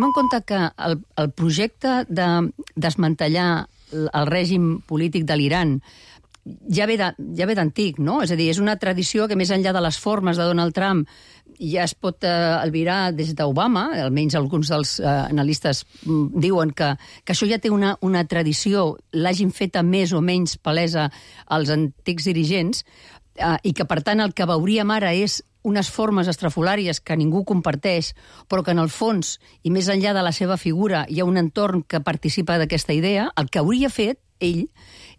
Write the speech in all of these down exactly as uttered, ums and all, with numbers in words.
Tenim en compte que el, el projecte de desmantellar el règim polític de l'Iran ja ve, de, ja ve d'antic, no? És a dir, és una tradició que més enllà de les formes de Donald Trump ja es pot eh, albirar des d'Obama, almenys alguns dels eh, analistes mm, diuen que, que això ja té una, una tradició, l'hagin feta més o menys palesa als antics dirigents, eh, i que, per tant, el que veuríem ara és unes formes estrafolàries que ningú comparteix, però que en el fons, i més enllà de la seva figura, hi ha un entorn que participa d'aquesta idea, el que hauria fet ell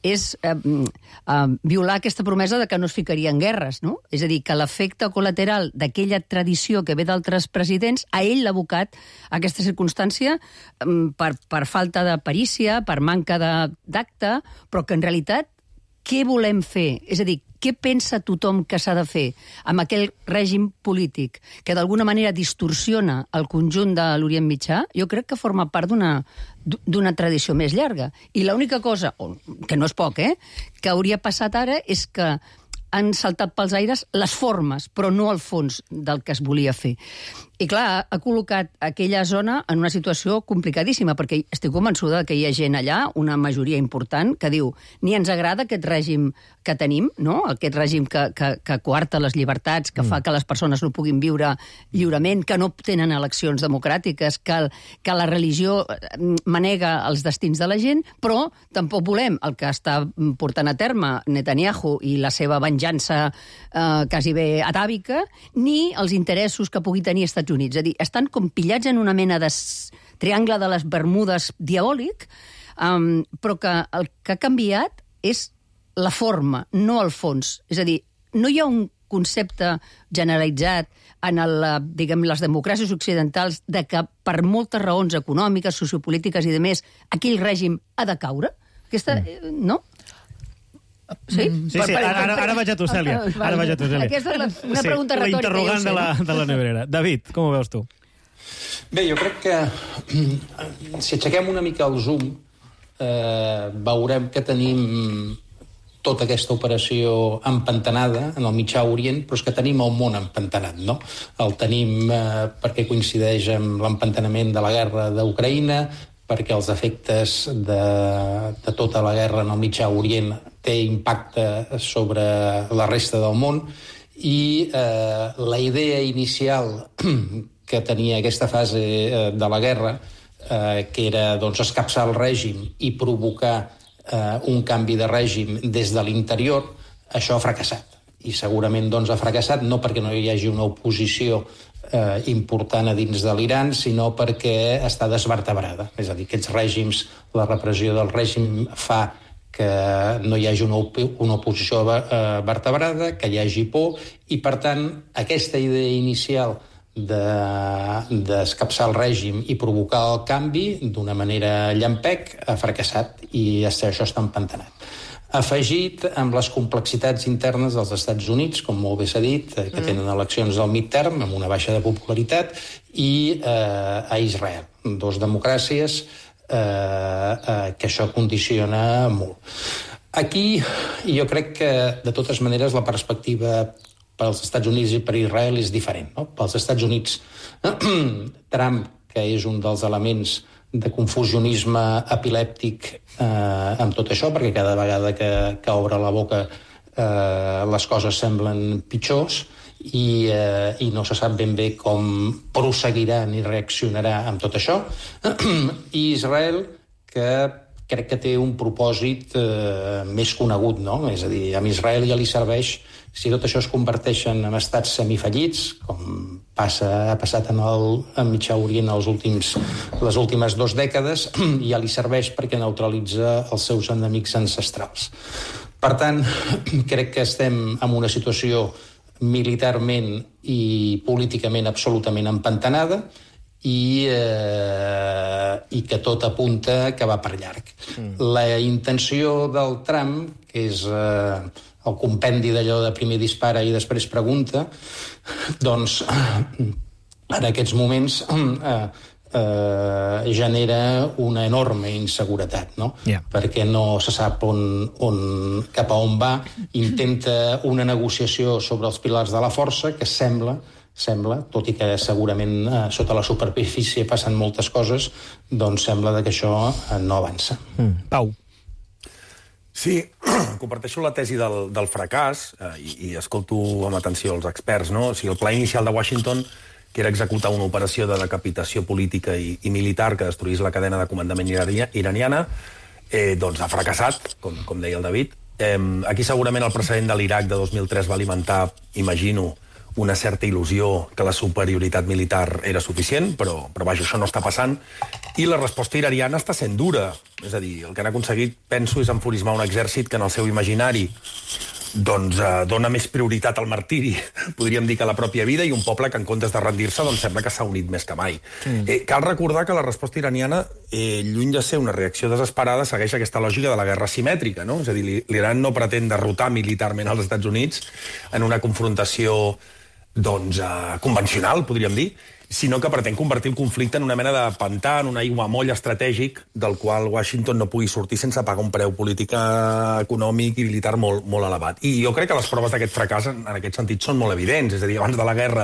és eh, eh, violar aquesta promesa de que no es ficaria en guerres, no? És a dir, que l'efecte col·lateral d'aquella tradició que ve d'altres presidents, a ell l'ha abocat a aquesta circumstància eh, per, per falta de perícia, per manca d'acte, però que en realitat què volem fer? És a dir, què pensa tothom que s'ha de fer amb aquell règim polític que d'alguna manera distorsiona el conjunt de l'Orient Mitjà? Jo crec que forma part d'una d'una tradició més llarga. I l'única cosa, que no és poc, eh, que hauria passat ara és que han saltat pels aires les formes, però no el fons del que es volia fer. I clar, ha col·locat aquella zona en una situació complicadíssima, perquè estic convençuda que hi ha gent allà, una majoria important, que diu ni ens agrada aquest règim que tenim, no? Aquest règim que, que, que coarta les llibertats, que mm. fa que les persones no puguin viure lliurement, que no tenen eleccions democràtiques, que, que la religió manega els destins de la gent, però tampoc volem el que està portant a terme Netanyahu i la seva venjança eh, quasi bé atàvica, ni els interessos que pugui tenir Estats Units. És a dir, estan com pillats en una mena de triangle de les Bermudes diabòlic, um, però que el que ha canviat és la forma, no el fons. És a dir, no hi ha un concepte generalitzat en el, diguem, les democràcies occidentals de que per moltes raons econòmiques, sociopolítiques i demés, aquell règim ha de caure? Aquesta, mm. no? Sí? Sí, sí, ara, ara, ara vaig a tu, Cèlia. Ara vaig a tu, Cèlia. Aquesta és la, una sí, pregunta retòrica. La interrogant sé, de, la, de la neverera. David, com ho veus tu? Bé, jo crec que si aixequem una mica el zoom eh, veurem que tenim tota aquesta operació empantanada en el Mitjà Orient, però és que tenim el món empantanat, no? El tenim eh, perquè coincideix amb l'empantanament de la guerra d'Ucraïna, perquè els efectes de, de tota la guerra en el Mitjà Orient té impacte sobre la resta del món, i eh, la idea inicial que tenia aquesta fase eh, de la guerra, eh, que era doncs, escapçar el règim i provocar eh, un canvi de règim des de l'interior, això ha fracassat. I segurament doncs, ha fracassat no perquè no hi hagi una oposició eh, important a dins de l'Iran, sinó perquè està desvertebrada. És a dir, aquests règims, la repressió del règim fa que no hi hagi una, op una oposició eh, vertebrada, que hi hagi por, i per tant aquesta idea inicial d'escapçar de, el règim i provocar el canvi d'una manera llampec ha fracassat i això està empantanat. Afegit amb les complexitats internes dels Estats Units, com molt bé s'ha dit, que mm. tenen eleccions del midterm amb una baixa de popularitat, i eh, a Israel, dos democràcies eh, eh, que això condiciona molt. Aquí jo crec que, de totes maneres, la perspectiva pels Estats Units i per Israel és diferent, no? Pels Estats Units, Trump, que és un dels elements de confusionisme epilèptic eh, amb tot això, perquè cada vegada que, que obre la boca eh, les coses semblen pitjors i, eh, i no se sap ben bé com prosseguirà ni reaccionarà amb tot això. I Israel, que crec que té un propòsit eh, més conegut, no? És a dir, a Israel ja li serveix, si tot això es converteix en estats semifallits, com passa, ha passat en el en Mitjà Orient els últims, les últimes dues dècades, ja li serveix perquè neutralitza els seus enemics ancestrals. Per tant, crec que estem en una situació militarment i políticament absolutament empantanada, i, eh, i que tot apunta que va per llarg. Mm. La intenció del Trump, que és eh, el compendi d'allò de primer dispara i després pregunta, doncs en aquests moments eh, eh, genera una enorme inseguretat, no? Yeah. Perquè no se sap on, on, cap a on va, intenta una negociació sobre els pilars de la força que sembla sembla, tot i que segurament eh, sota la superfície passen moltes coses, doncs sembla que això eh, no avança. Mm. Pau. Sí, comparteixo la tesi del, del fracàs eh, i, i escolto amb atenció els experts, no? O sigui, el pla inicial de Washington, que era executar una operació de decapitació política i, i militar que destruís la cadena de comandament iraniana, eh, doncs ha fracassat, com, com deia el David. Eh, aquí segurament el precedent de l'Iraq de dos mil tres va alimentar, imagino, una certa il·lusió que la superioritat militar era suficient, però, però vaja, això no està passant. I la resposta iraniana està sent dura. És a dir, el que han aconseguit, penso, és enfurismar un exèrcit que en el seu imaginari doncs eh, dona més prioritat al martiri, podríem dir, que a la pròpia vida, i un poble que en comptes de rendir-se doncs sembla que s'ha unit més que mai. Mm. Eh, cal recordar que la resposta iraniana, eh, lluny de ser una reacció desesperada, segueix aquesta lògica de la guerra simètrica, no? És a dir, l'Iran no pretén derrotar militarment als Estats Units en una confrontació doncs, eh, convencional, podríem dir, sinó que pretén convertir el conflicte en una mena de pantà, en un aiguamoll estratègic del qual Washington no pugui sortir sense pagar un preu polític, econòmic i militar molt, molt elevat. I jo crec que les proves d'aquest fracàs en, en aquest sentit són molt evidents. És a dir, abans de la guerra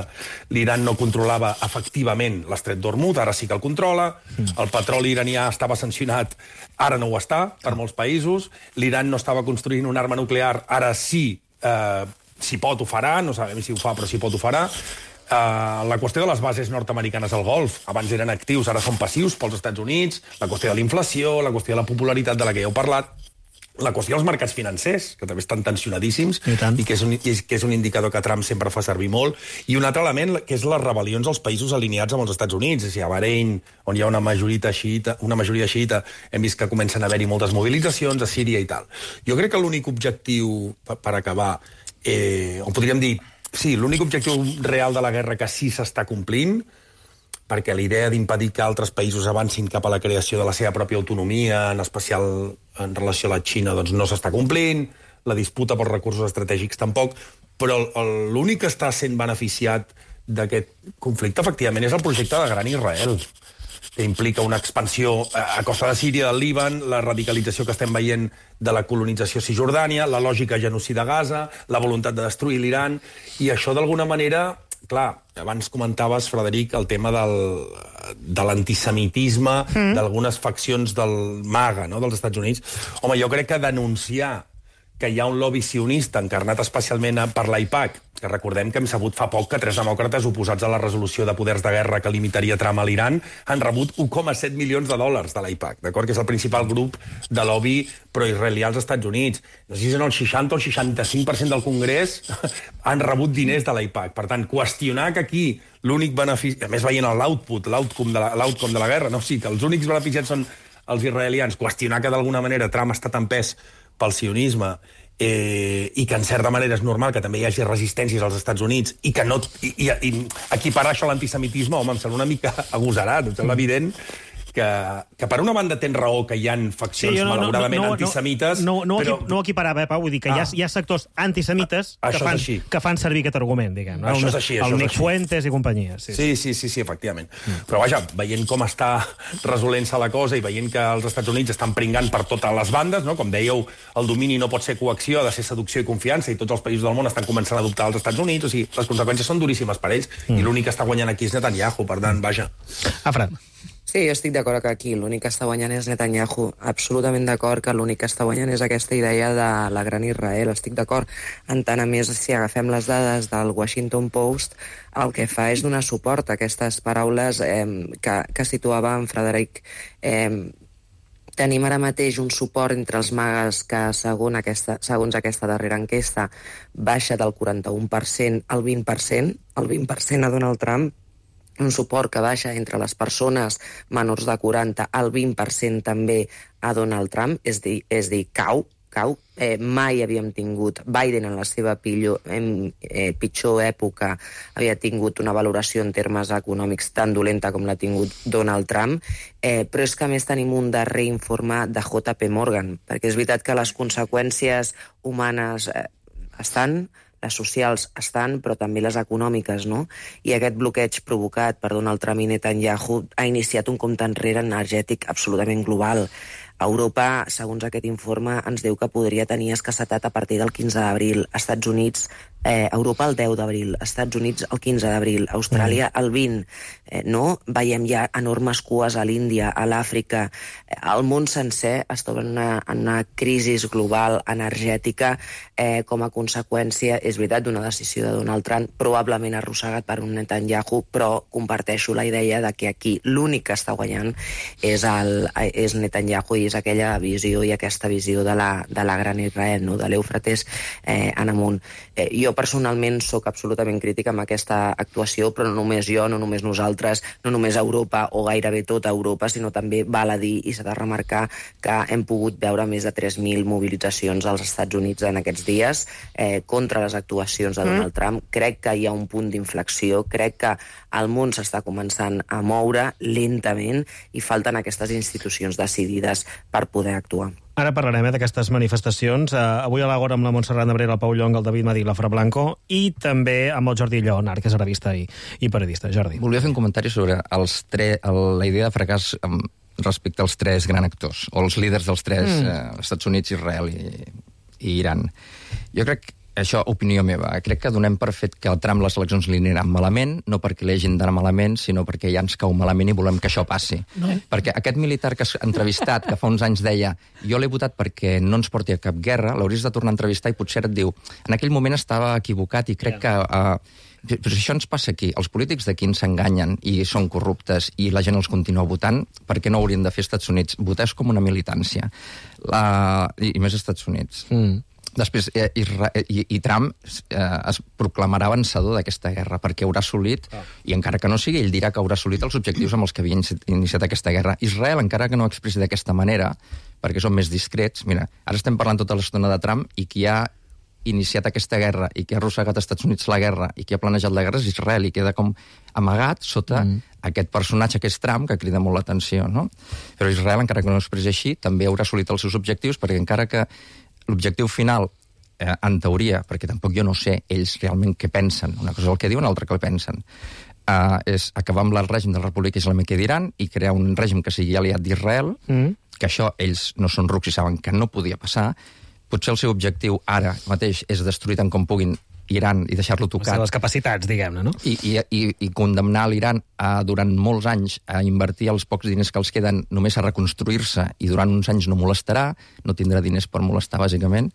l'Iran no controlava efectivament l'estret d'Hormuz, ara sí que el controla, el petroli iranià estava sancionat, ara no ho està, per molts països, l'Iran no estava construint una arma nuclear, ara sí, eh, si pot ho farà, no sabem si ho fa, però si pot ho farà. Uh, la qüestió de les bases nord-americanes al Golf, abans eren actius, ara són passius pels Estats Units, la qüestió de la inflació, la qüestió de la popularitat de la que ja heu parlat, la qüestió dels mercats financers, que també estan tensionadíssimos, i, i que, és un, i que és un indicador que Trump sempre fa servir molt, i un altre element, que és les rebel·lions als països alineats amb els Estats Units. És a dir, a Bahrein, on hi ha una majoria xiita, una majoria xiita, hem vist que comencen a haver-hi moltes mobilitzacions, a Síria i tal. Jo crec que l'únic objectiu, per, per acabar, eh, o podríem dir, sí, l'únic objectiu real de la guerra que sí s'està complint, perquè la idea d'impedir que altres països avancin cap a la creació de la seva pròpia autonomia, en especial en relació a la Xina, doncs no s'està complint, la disputa pels recursos estratègics tampoc, però l'únic que està sent beneficiat d'aquest conflicte, efectivament, és el projecte de Gran Israel, que implica una expansió a costa de Síria, del Líban, la radicalització que estem veient de la colonització a Cisjordània, la lògica genocida a Gaza, la voluntat de destruir l'Iran, i això d'alguna manera, clar, abans comentaves, Frederic, el tema del, de l'antisemitisme mm. d'algunes faccions del MAGA, no?, dels Estats Units. Home, jo crec que denunciar que hi ha un lobby sionista encarnat especialment per l'AIPAC, que recordem que hem sabut fa poc que tres demòcrates oposats a la resolució de poders de guerra que limitaria Trump a l'Iran han rebut un coma set milions de dòlars de l'AIPAC, d'acord? Que és el principal grup de lobby proisraelià als Estats Units. No sé si és el seixanta o el seixanta-cinc per cent del Congrés han rebut diners de l'AIPAC. Per tant, qüestionar que aquí l'únic benefici... A més, veient l'output, l'outcome de, la, l'outcome de la guerra, no? Sí, que els únics beneficiats són els israelians. Qüestionar que d'alguna manera Trump ha estat empès pel sionisme, eh, i que en certa manera és normal que també hi hagi resistències als Estats Units, i que no, i, i, i equiparar això a l'antisemitisme, home, em sembla una mica agosarat, em sembla evident que, que per una banda tens raó que hi ha faccions sí, no, malauradament no, no, antisemites... No, no, no, però... no equiparava, eh, Pau, vull dir que ah. hi, ha, hi ha sectors antisemites ah, que, fan, que fan servir aquest argument, diguem. Això no? és així, el això Nick Fuentes i companyia. Sí, sí, sí, sí, sí efectivament. Mm. Però vaja, veient com està resolent-se la cosa i veient que els Estats Units estan pringant per totes les bandes, no? Com dèieu, el domini no pot ser coacció, ha de ser seducció i confiança, i tots els països del món estan començant a adoptar els Estats Units, o sigui, les conseqüències són duríssimes per ells, mm. i l'únic que està guanyant aquí és Netanyahu, per tant, vaja. Afran. Sí, jo estic d'acord que aquí l'únic que està guanyant és Netanyahu. Absolutament d'acord que l'únic que està guanyant és aquesta idea de la Gran Israel. Estic d'acord. En tant, a més, si agafem les dades del Washington Post, el que fa és donar suport a aquestes paraules eh, que, que situava en Frederic. Eh, tenim ara mateix un suport entre els magues que, segons aquesta, segons aquesta darrera enquesta, baixa del quaranta-un per cent al vint per cent, el vint per cent a Donald Trump, un suport que baixa entre les persones menors de quaranta al vint per cent també a Donald Trump, és dir, és dir cau, cau. Eh, mai havíem tingut, Biden en la seva pitjor, eh, pitjor època havia tingut una valoració en termes econòmics tan dolenta com l'ha tingut Donald Trump, eh, però és que a més tenim un darrer informe de J P Morgan, perquè és veritat que les conseqüències humanes eh, estan, les socials estan, però també les econòmiques, no? I aquest bloqueig provocat per Donald Trump i Netanyahu ha iniciat un compte enrere energètic absolutament global. Europa, segons aquest informe, ens diu que podria tenir escassetat a partir del quinze d'abril. Als Estats Units Eh, Europa el deu d'abril, Estats Units el quinze d'abril, Austràlia el vint. Eh, no? Veiem ja enormes cues a l'Índia, a l'Àfrica. Eh, el món sencer es troba en una, en una crisi global energètica eh, com a conseqüència, és veritat, d'una decisió de Donald Trump, probablement arrossegat per un Netanyahu, però comparteixo la idea de que aquí l'únic que està guanyant és, el, és Netanyahu i és aquella visió i aquesta visió de la, de la gran Israel, no? De l'Eufrates eh, en amunt. Eh, jo personalment sóc absolutament crítica amb aquesta actuació, però no només jo, no només nosaltres, no només Europa o gairebé tota Europa, sinó també val a dir i s'ha de remarcar que hem pogut veure més de tres mil mobilitzacions als Estats Units en aquests dies eh, contra les actuacions de Donald Trump. Crec que hi ha un punt d'inflexió, crec que el món s'està començant a moure lentament i falten aquestes institucions decidides per poder actuar. Ara parlarem eh, d'aquestes manifestacions. Uh, avui a l'Agora amb la Montserrat Nebrera, el Pau Llong, el David Madí, la Fra Blanco, i també amb el Jordi Lleonard, que és arabista i, i periodista. Jordi. Volia fer un comentari sobre els tre... el, la idea de fracàs um, respecte als tres grans actors, o els líders dels tres, mm. eh, Estats Units, Israel i, i Iran. Jo crec que això, opinió meva, crec que donem per fet que el Trump les eleccions li aniran malament, no perquè li hagin d'anar malament, sinó perquè ja ens cau malament i volem que això passi. No. Perquè aquest militar que has entrevistat, que fa uns anys deia jo l'he votat perquè no ens porti a cap guerra, l'hauries de tornar a entrevistar i potser et diu en aquell moment estava equivocat i crec que... Uh, però això ens passa aquí. Els polítics d'aquí ens enganyen i són corruptes i la gent els continua votant, perquè no haurien de fer Estats Units? Votar és com una militància. La... I, I més Estats Units. Mm. Després, eh, i, i Trump eh, es proclamarà vencedor d'aquesta guerra perquè haurà assolit, oh. i encara que no sigui, ell dirà que haurà assolit els objectius amb els que havia iniciat aquesta guerra. Israel, encara que no ho expressi d'aquesta manera, perquè són més discrets, mira, ara estem parlant tota l'estona de Trump i qui ha iniciat aquesta guerra i qui ha arrossegat als Estats Units la guerra i qui ha planejat la guerra és Israel i queda com amagat sota mm. aquest personatge que és Trump, que crida molt l'atenció, no? Però Israel, encara que no ho expressi així, també haurà assolit els seus objectius perquè encara que l'objectiu final, eh, en teoria, perquè tampoc jo no sé ells realment què pensen, una cosa és el que diuen, l'altra que el pensen, eh, és acabar amb el règim de la República Islàmica d'Iran i crear un règim que sigui aliat d'Israel, mm. que això ells no són rucs i saben que no podia passar. Potser el seu objectiu ara mateix és destruir tant com puguin Iran i deixar-lo tocat. Les capacitats, diguem-ne, no? I, i, i, i condemnar l'Iran a, durant molts anys a invertir els pocs diners que els queden només a reconstruir-se i durant uns anys no molestarà, no tindrà diners per molestar, bàsicament.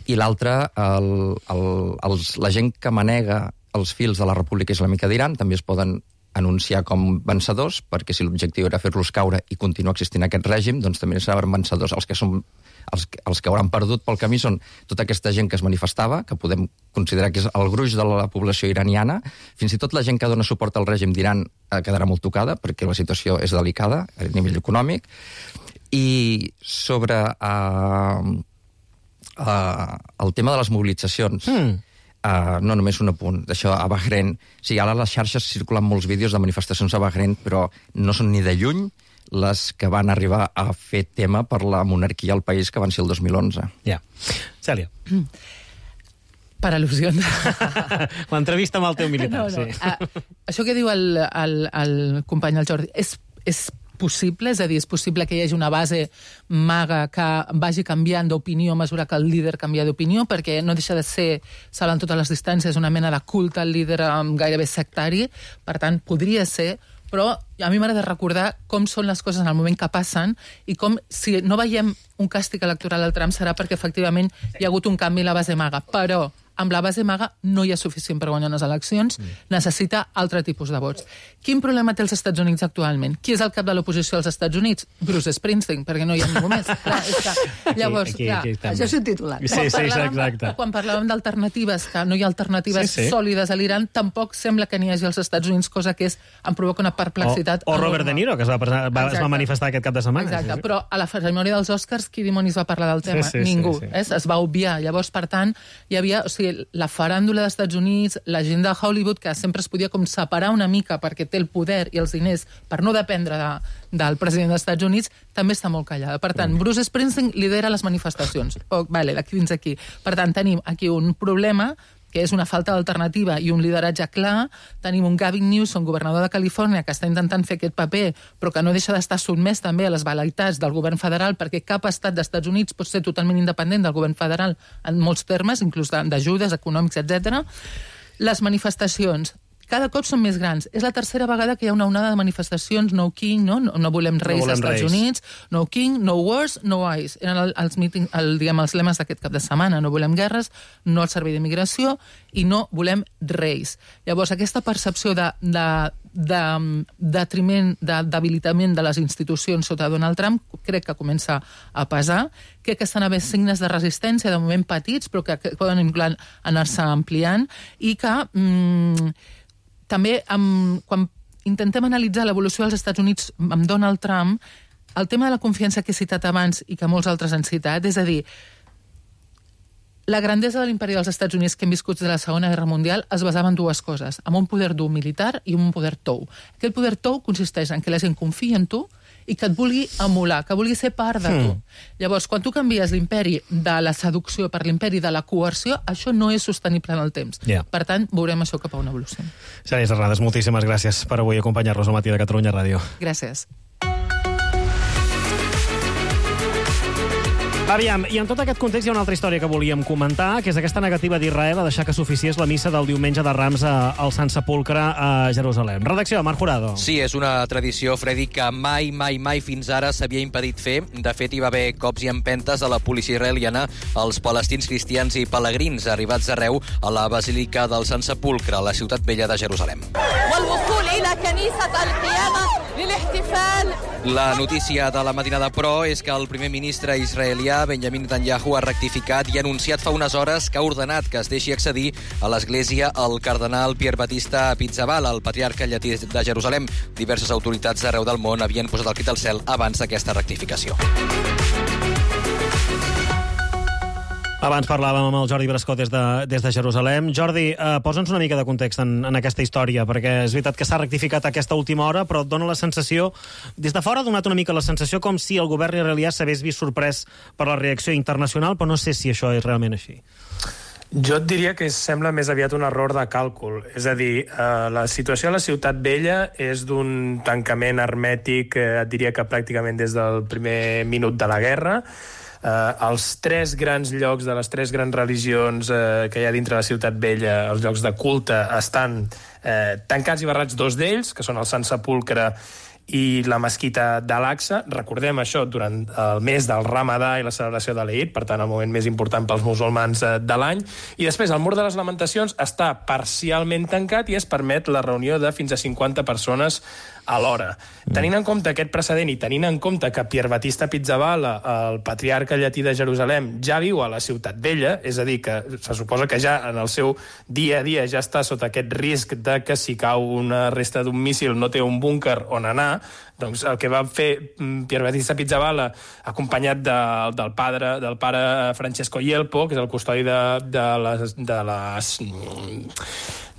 I l'altre, el, el, els, la gent que manega els fils de la República Islàmica d'Iran també es poden anunciar com vencedors, perquè si l'objectiu era fer-los caure i continuar existint aquest règim, doncs també seran vencedors. Els que són els, els que hauran perdut pel camí són tota aquesta gent que es manifestava, que podem considerar que és el gruix de la població iraniana, fins i tot la gent que dona suport al règim d'Iran eh, quedarà molt tocada, perquè la situació és delicada a nivell econòmic. I sobre uh, uh, el tema de les mobilitzacions... Mm. Uh, no només un apunt, d'això a Bahrein. Sí, ara a les xarxes circulen molts vídeos de manifestacions a Bahrein, però no són ni de lluny les que van arribar a fer tema per la monarquia al país, que van ser el dos mil onze. Ja. Yeah. Cèlia. Mm. Per al·lusions. L'entrevista amb el teu militar, no, no. sí. Uh, això que diu el, el, el company, el Jordi, és, és possible? És a dir, és possible que hi hagi una base maga que vagi canviant d'opinió a mesura que el líder canvia d'opinió, perquè no deixa de ser, saben totes les distàncies, una mena de culte al líder um, gairebé sectari, per tant, podria ser, però a mi m'agrada recordar com són les coses en el moment que passen i com, si no veiem un càstig electoral al Trump, serà perquè efectivament hi ha hagut un canvi a la base maga, però amb la base maga no hi ha suficient per guanyar unes eleccions, mm. necessita altre tipus de vots. Quin problema té els Estats Units actualment? Qui és el cap de l'oposició als Estats Units? Bruce Springsteen, perquè no hi ha ningú més. Clar, és que, llavors, aquí, aquí, clar, això és un titular. Sí, sí, sí, exacte. Quan parlàvem d'alternatives, que no hi ha alternatives sí, sí. sòlides a l'Iran, tampoc sembla que n'hi hagi als Estats Units, cosa que és, em provoca una perplexitat. O, o Robert De Niro, que es va, va, es va manifestar aquest cap de setmana. Exacte, sí, sí. Però a la cerimònia dels Oscars, qui dimonis va parlar del tema? Sí, sí, Ningú. Sí, sí. Es, es va obviar. Llavors, per tant, hi havia, o sigui, la faràndula dels Estats Units, la gent de Hollywood, que sempre es podia com separar una mica perquè té el poder i els diners per no dependre de, del president dels Estats Units, també està molt callada. Per tant, Bruce Springsteen lidera les manifestacions. Oh, vale, d'aquí fins aquí. Per tant, tenim aquí un problema que és una falta d'alternativa i un lideratge clar. Tenim un Gavin Newsom, governador de Califòrnia, que està intentant fer aquest paper, però que no deixa d'estar sotmès també a les velaitats del govern federal, perquè cap estat dels Estats Units pot ser totalment independent del govern federal en molts termes, inclús d'ajudes econòmics, etcètera. Les manifestacions cada cop són més grans. És la tercera vegada que hi ha una onada de manifestacions, no king, no, no, no volem reis als Estats Units, no king, no wars, no ice. Eren el, els, meeting, el, diguem, els lemes d'aquest cap de setmana. No volem guerres, no el servei d'immigració i no volem reis. Llavors, aquesta percepció de, de, de detriment, de debilitament de les institucions sota Donald Trump crec que comença a pesar. Crec que estan a haver signes de resistència, de moment petits, però que, que poden anar-se ampliant i que... Mm, també, amb, quan intentem analitzar l'evolució dels Estats Units amb Donald Trump, el tema de la confiança que he citat abans i que molts altres han citat, és a dir, la grandesa de l'imperi dels Estats Units que hem viscut de la Segona Guerra Mundial es basava en dues coses, en un poder dur militar i un poder tou. Aquest poder tou consisteix en que la gent confia en tu i que et vulgui emular, que vulgui ser part de tu. Mm. Llavors, quan tu canvies l'imperi de la seducció per l'imperi de la coerció, això no és sostenible en el temps. Yeah. Per tant, veurem això cap a una evolució. Xènia Serrades, moltíssimes gràcies per avui acompanyar-nos al matí de Catalunya Ràdio. Gràcies. Aviam, i en tot aquest context hi ha una altra història que volíem comentar, que és aquesta negativa d'Israel a deixar que s'oficiés la missa del diumenge de Rams al Sant Sepulcre a Jerusalem. Redacció, Marc Jurado. Sí, és una tradició, Freddy, que mai, mai, mai fins ara s'havia impedit fer. De fet, hi va haver cops i empentes de la policia israeliana als palestins cristians i pelegrins arribats arreu a la Basílica del Sant Sepulcre, a la ciutat vella de Jerusalem. La notícia de la matinada, però, és que el primer ministre israelià, Benjamin Netanyahu, ha rectificat i ha anunciat fa unes hores que ha ordenat que es deixi accedir a l'església el cardenal Pierre Battista Pizzaballa, el patriarca llatí de Jerusalem. Diverses autoritats d'arreu del món havien posat el crit al cel abans d'aquesta rectificació. Abans parlàvem amb el Jordi Brascó des de, des de Jerusalem. Jordi, eh, posa'ns una mica de context en, en aquesta història, perquè és veritat que s'ha rectificat a aquesta última hora, però et dona la sensació, des de fora ha donat una mica la sensació com si el govern israelià s'hagués vist sorprès per la reacció internacional, però no sé si això és realment així. Jo et diria que sembla més aviat un error de càlcul. És a dir, eh, la situació a la Ciutat Vella és d'un tancament hermètic, eh, et diria que pràcticament des del primer minut de la guerra. Uh, els tres grans llocs de les tres grans religions uh, que hi ha dintre la Ciutat Vella, els llocs de culte, estan uh, tancats i barrats, dos d'ells, que són el Sant Sepulcre i la mesquita d'Al-Aqsa. Recordem això durant el mes del Ramadà i la celebració de l'Eid, per tant el moment més important pels musulmans de l'any. I després el Mur de les Lamentacions està parcialment tancat i es permet la reunió de fins a cinquanta persones alhora. Tenint en compte aquest precedent i tenint en compte que Pierre Battista Pizzaballa, el patriarca llatí de Jerusalem, ja viu a la Ciutat Vella, és a dir, que se suposa que ja en el seu dia a dia ja està sota aquest risc de que si cau una resta d'un míssil no té un búnquer on anar, doncs el que va fer Pierre Battista Pizzaballa, acompanyat de, del, padre, del pare Francesco Yelpo, que és el custodi de, de les... De les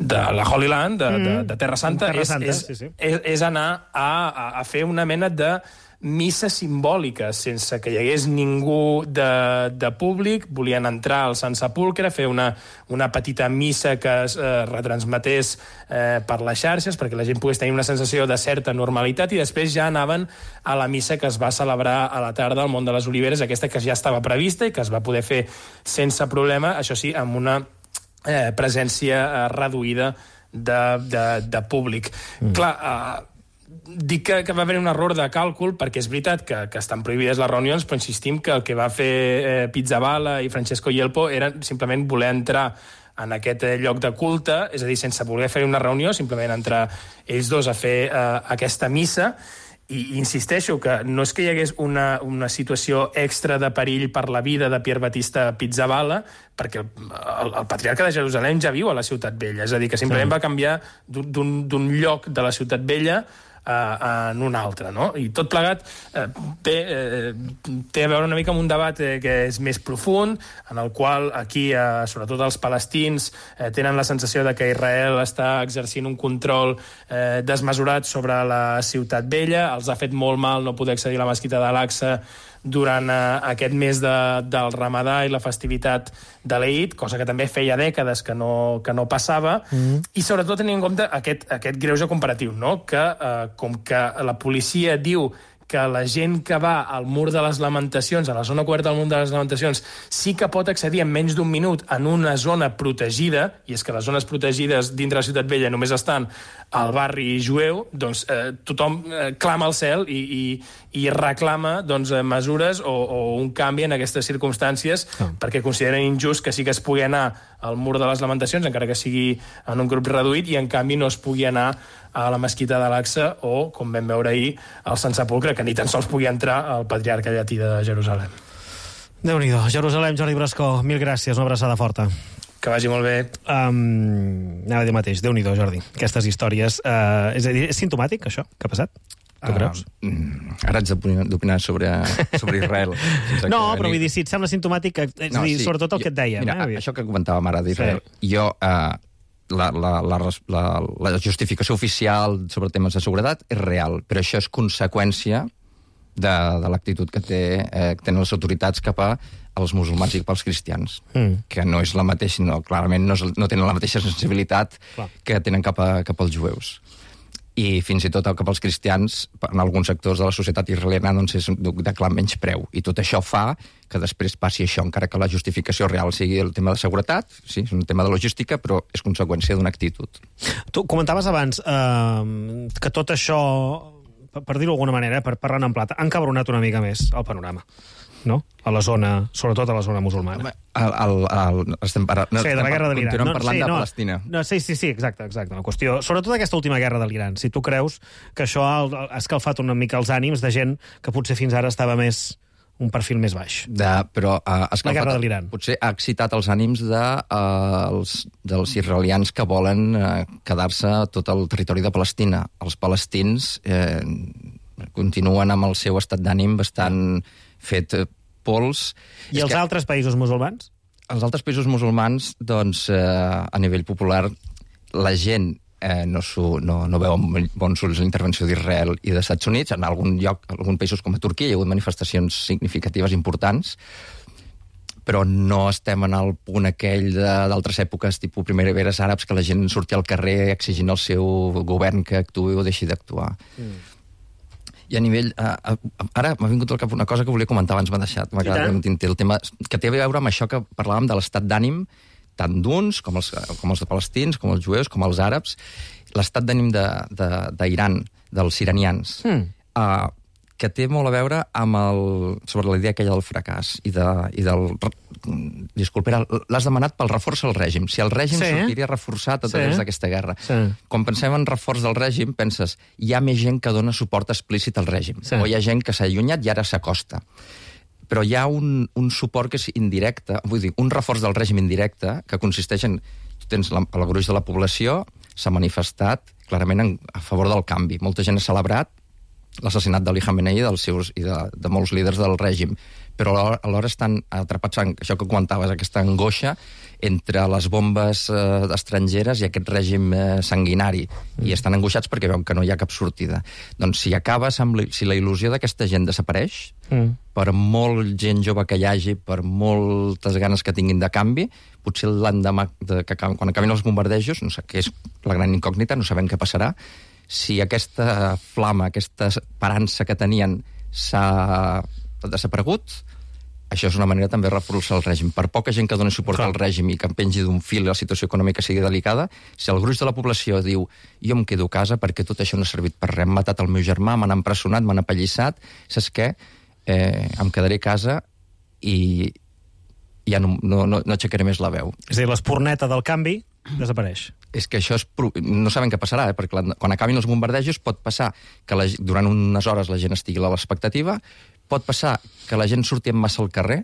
de la Holy Land, de, de, de Terra Santa, Terra Santa és, sí, sí. És, és anar a, a, a fer una mena de missa simbòlica, sense que hi hagués ningú de, de públic. Volien entrar al Sant Sepulcre, fer una, una petita missa que es eh, retransmetés eh, per les xarxes, perquè la gent pogués tenir una sensació de certa normalitat, i després ja anaven a la missa que es va celebrar a la tarda al Mont de les Oliveres, aquesta que ja estava prevista i que es va poder fer sense problema, això sí, amb una Eh, presència eh, reduïda de, de, de públic. Mm. Clar, eh, dic que, que va haver un error de càlcul, perquè és veritat que, que estan prohibides les reunions, però insistim que el que va fer eh, Pizzaballa i Francesco Yelpo era simplement voler entrar en aquest eh, lloc de culte, és a dir, sense voler fer una reunió, simplement entrar ells dos a fer eh, aquesta missa. I insisteixo que no és que hi hagués una, una situació extra de perill per la vida de Pierre Battista Pizzaballa, perquè el, el patriarca de Jerusalem ja viu a la Ciutat Vella, és a dir, que simplement sí. va canviar d'un lloc de la Ciutat Vella en un altre, no? I tot plegat eh, té, eh, té a veure una mica amb un debat eh, que és més profund, en el qual aquí, eh, sobretot els palestins, eh, tenen la sensació de que Israel està exercint un control eh, desmesurat sobre la ciutat vella, els ha fet molt mal no poder accedir a la mesquita d'Al-Aqsa durant eh, aquest mes de, del Ramadà i la festivitat de l'Eid, cosa que també feia dècades que no, que no passava, mm. i sobretot tenint en compte aquest, aquest greuge comparatiu, no? Que eh, com que la policia diu que la gent que va al mur de les Lamentacions, a la zona coberta del mur de les Lamentacions, sí que pot accedir en menys d'un minut en una zona protegida, i és que les zones protegides dintre la Ciutat Vella només estan al barri jueu, doncs eh, tothom eh, clama al cel i, i, i reclama doncs, mesures o, o un canvi en aquestes circumstàncies, oh. perquè consideren injust que sí que es pugui anar al mur de les Lamentacions, encara que sigui en un grup reduït, i en canvi no es pugui anar a la mesquita d'Al-Aqsa o, com vam veure ahir, al Sant Sepulcre, que ni tan sols pugui entrar el patriarca llatí de Jerusalem. Déu-n'hi-do. Jerusalem, Jordi Brascó, mil gràcies, una abraçada forta. Que vagi molt bé. Um, anava a dir mateix, Déu-n'hi-do, Jordi. Aquestes històries... Uh, és a dir, és simptomàtic, això, que ha passat? Tu creus? Uh, ara haig d'opinar sobre, sobre Israel. No, però vull dir, si et sembla simptomàtic, és no, a dir, sí, sobretot el jo, que et deia. Mira, eh? això que comentàvem ara d'Israel, sí. jo... Uh, La, la, la, la, la justificació oficial sobre temes de seguretat és real, però això és conseqüència de, de l'actitud que, té, eh, que tenen les autoritats cap a als musulmans i cap als cristians, mm. que no és la mateixa, no, clarament no, és, no tenen la mateixa sensibilitat Clar. que tenen cap, a, cap als jueus. I fins i tot cap als cristians, en alguns sectors de la societat israeliana, doncs és de clar menys preu. I tot això fa que després passi això, encara que la justificació real sigui el tema de seguretat, sí, és un tema de logística, però és conseqüència d'una actitud. Tu comentaves abans eh, que tot això, per dir-ho d'alguna manera, per parlar en plata, ha encabronat una mica més el panorama, no? A la zona, sobretot a la zona musulmana. El, el, el, estem parlant, no, sí, de la guerra de l'Iran. Continuem no, parlant sí, de no, Palestina. No, sí, sí, sí, exacte, exacte. Una qüestió, sobretot aquesta última guerra de l'Iran. Si tu creus que això ha escalfat una mica els ànims de gent que potser fins ara estava més un perfil més baix. De, però uh, escalfat, la guerra de l'Iran. Potser ha excitat els ànims de, uh, els, dels israelians que volen uh, quedar-se a tot el territori de Palestina. Els palestins eh, continuen amb el seu estat d'ànim bastant fet uh, pols. I és els que... altres països musulmans? Els altres països musulmans, doncs, eh, a nivell popular, la gent eh, no, no, no veu amb bons ulls la intervenció d'Israel i dels Estats Units. En algun lloc, en alguns països com a Turquia, hi ha hagut manifestacions significatives importants, però no estem en el punt aquell d'altres èpoques, tipus primaveres àrabs, que la gent sortia al carrer exigint al seu govern que actuï o deixi d'actuar. Mm. I a nivell... Uh, uh, ara m'ha vingut al cap una cosa que volia comentar, abans m'ha deixat, m'ha quedat un tinter, el tema que té a veure amb això que parlàvem de l'estat d'ànim, tant d'uns, com els, com els de palestins, com els jueus, com els àrabs, l'estat d'ànim d'Iran, de, de, dels iranians, mm. uh, que té molt a veure amb el... sobre la idea aquella del fracàs i, de, i del... Disculpa, l'has demanat pel reforç al règim. Si el règim sí. sortiria reforçat a través sí. d'aquesta guerra. Sí. Quan pensem en reforç del règim, penses, hi ha més gent que dona suport explícit al règim. Sí. O hi ha gent que s'ha allunyat i ara s'acosta. Però hi ha un, un suport que és indirecte, vull dir, un reforç del règim indirecte, que consisteix en... Tu tens la, el gruix de la població, s'ha manifestat clarament en, a favor del canvi. Molta gent ha celebrat l'assassinat d'Ali Khamenei i, dels seus, i de, de molts líders del règim. Però alhora, alhora estan atrapats en això que comentaves, aquesta angoixa entre les bombes eh, estrangeres i aquest règim eh, sanguinari. Mm. I estan angoixats perquè veuen que no hi ha cap sortida. Doncs si acabes amb... Si la il·lusió d'aquesta gent desapareix, mm. per molt gent jove que hi hagi, per moltes ganes que tinguin de canvi, potser l'endemà, de, que, quan acabin els bombardejos, no sé, que és la gran incògnita, no sabem què passarà, si aquesta flama, aquesta esperança que tenien s'ha desaparegut, això és una manera també de reforçar el règim. Per poca gent que doni suport Clar. al règim i que en pengi d'un fil i la situació econòmica sigui delicada, si el gruix de la població diu jo em quedo a casa perquè tot això no ha servit per res, han matat el meu germà, m'han empresonat, m'han apallissat, saps què? Eh, em quedaré a casa i ja no, no, no, no aixecaré més la veu. És a dir, l'espurneta del canvi desapareix. És que això és... No sabem què passarà, eh? perquè quan acabin els bombardejos pot passar que la... durant unes hores la gent estigui a l'expectativa, pot passar que la gent surti en massa al carrer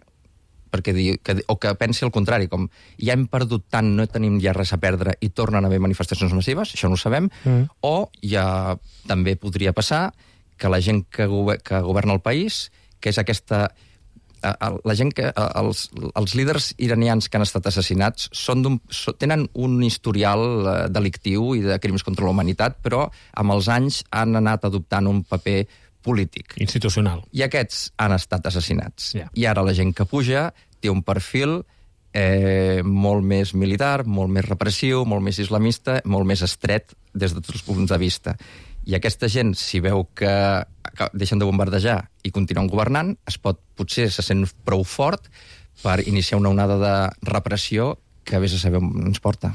perquè di, que, o que pensi el contrari, com ja hem perdut tant, no tenim ja res a perdre i tornen a haver manifestacions massives, això no ho sabem, mm. o ja també podria passar que la gent que, gover que governa el país, que és aquesta... La gent que... Els, els líders iranians que han estat assassinats són so, tenen un historial delictiu i de crims contra la humanitat, però amb els anys han anat adoptant un paper polític. Institucional. I aquests han estat assassinats. Yeah. I ara la gent que puja té un perfil eh, molt més militar, molt més repressiu, molt més islamista, molt més estret des de tots els punts de vista. I aquesta gent, si veu que, que deixen de bombardejar i continuen governant, es pot, potser se sent prou fort per iniciar una onada de repressió que vés a saber on ens porta.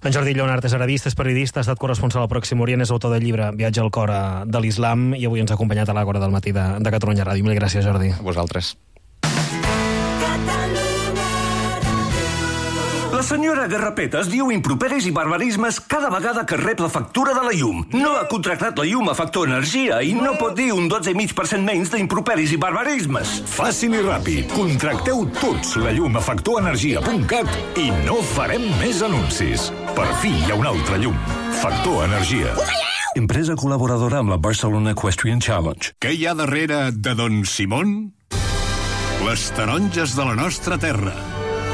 En Jordi Lleonart és arabista, és periodista, ha estat corresponsal al Pròxim Orient, és autor del llibre Viatge al cor de l'Islam i avui ens ha acompanyat a l'Àgora del matí de, de Catalunya Ràdio. Mil gràcies, Jordi. A vosaltres. La senyora Garrapetes diu improperis i barbarismes cada vegada que rep la factura de la llum. No ha contractat la llum a Factor Energia i no pot dir un dotze coma cinc per cent menys d'improperis i barbarismes. Fàcil i ràpid. Contracteu tots la llum a factor energia punt cat i no farem més anuncis. Per fi hi ha una altra llum. Factor Energia. Empresa col·laboradora amb la Barcelona Equestrian Challenge. Què hi ha darrere de Don Simón? Les taronges de la nostra terra.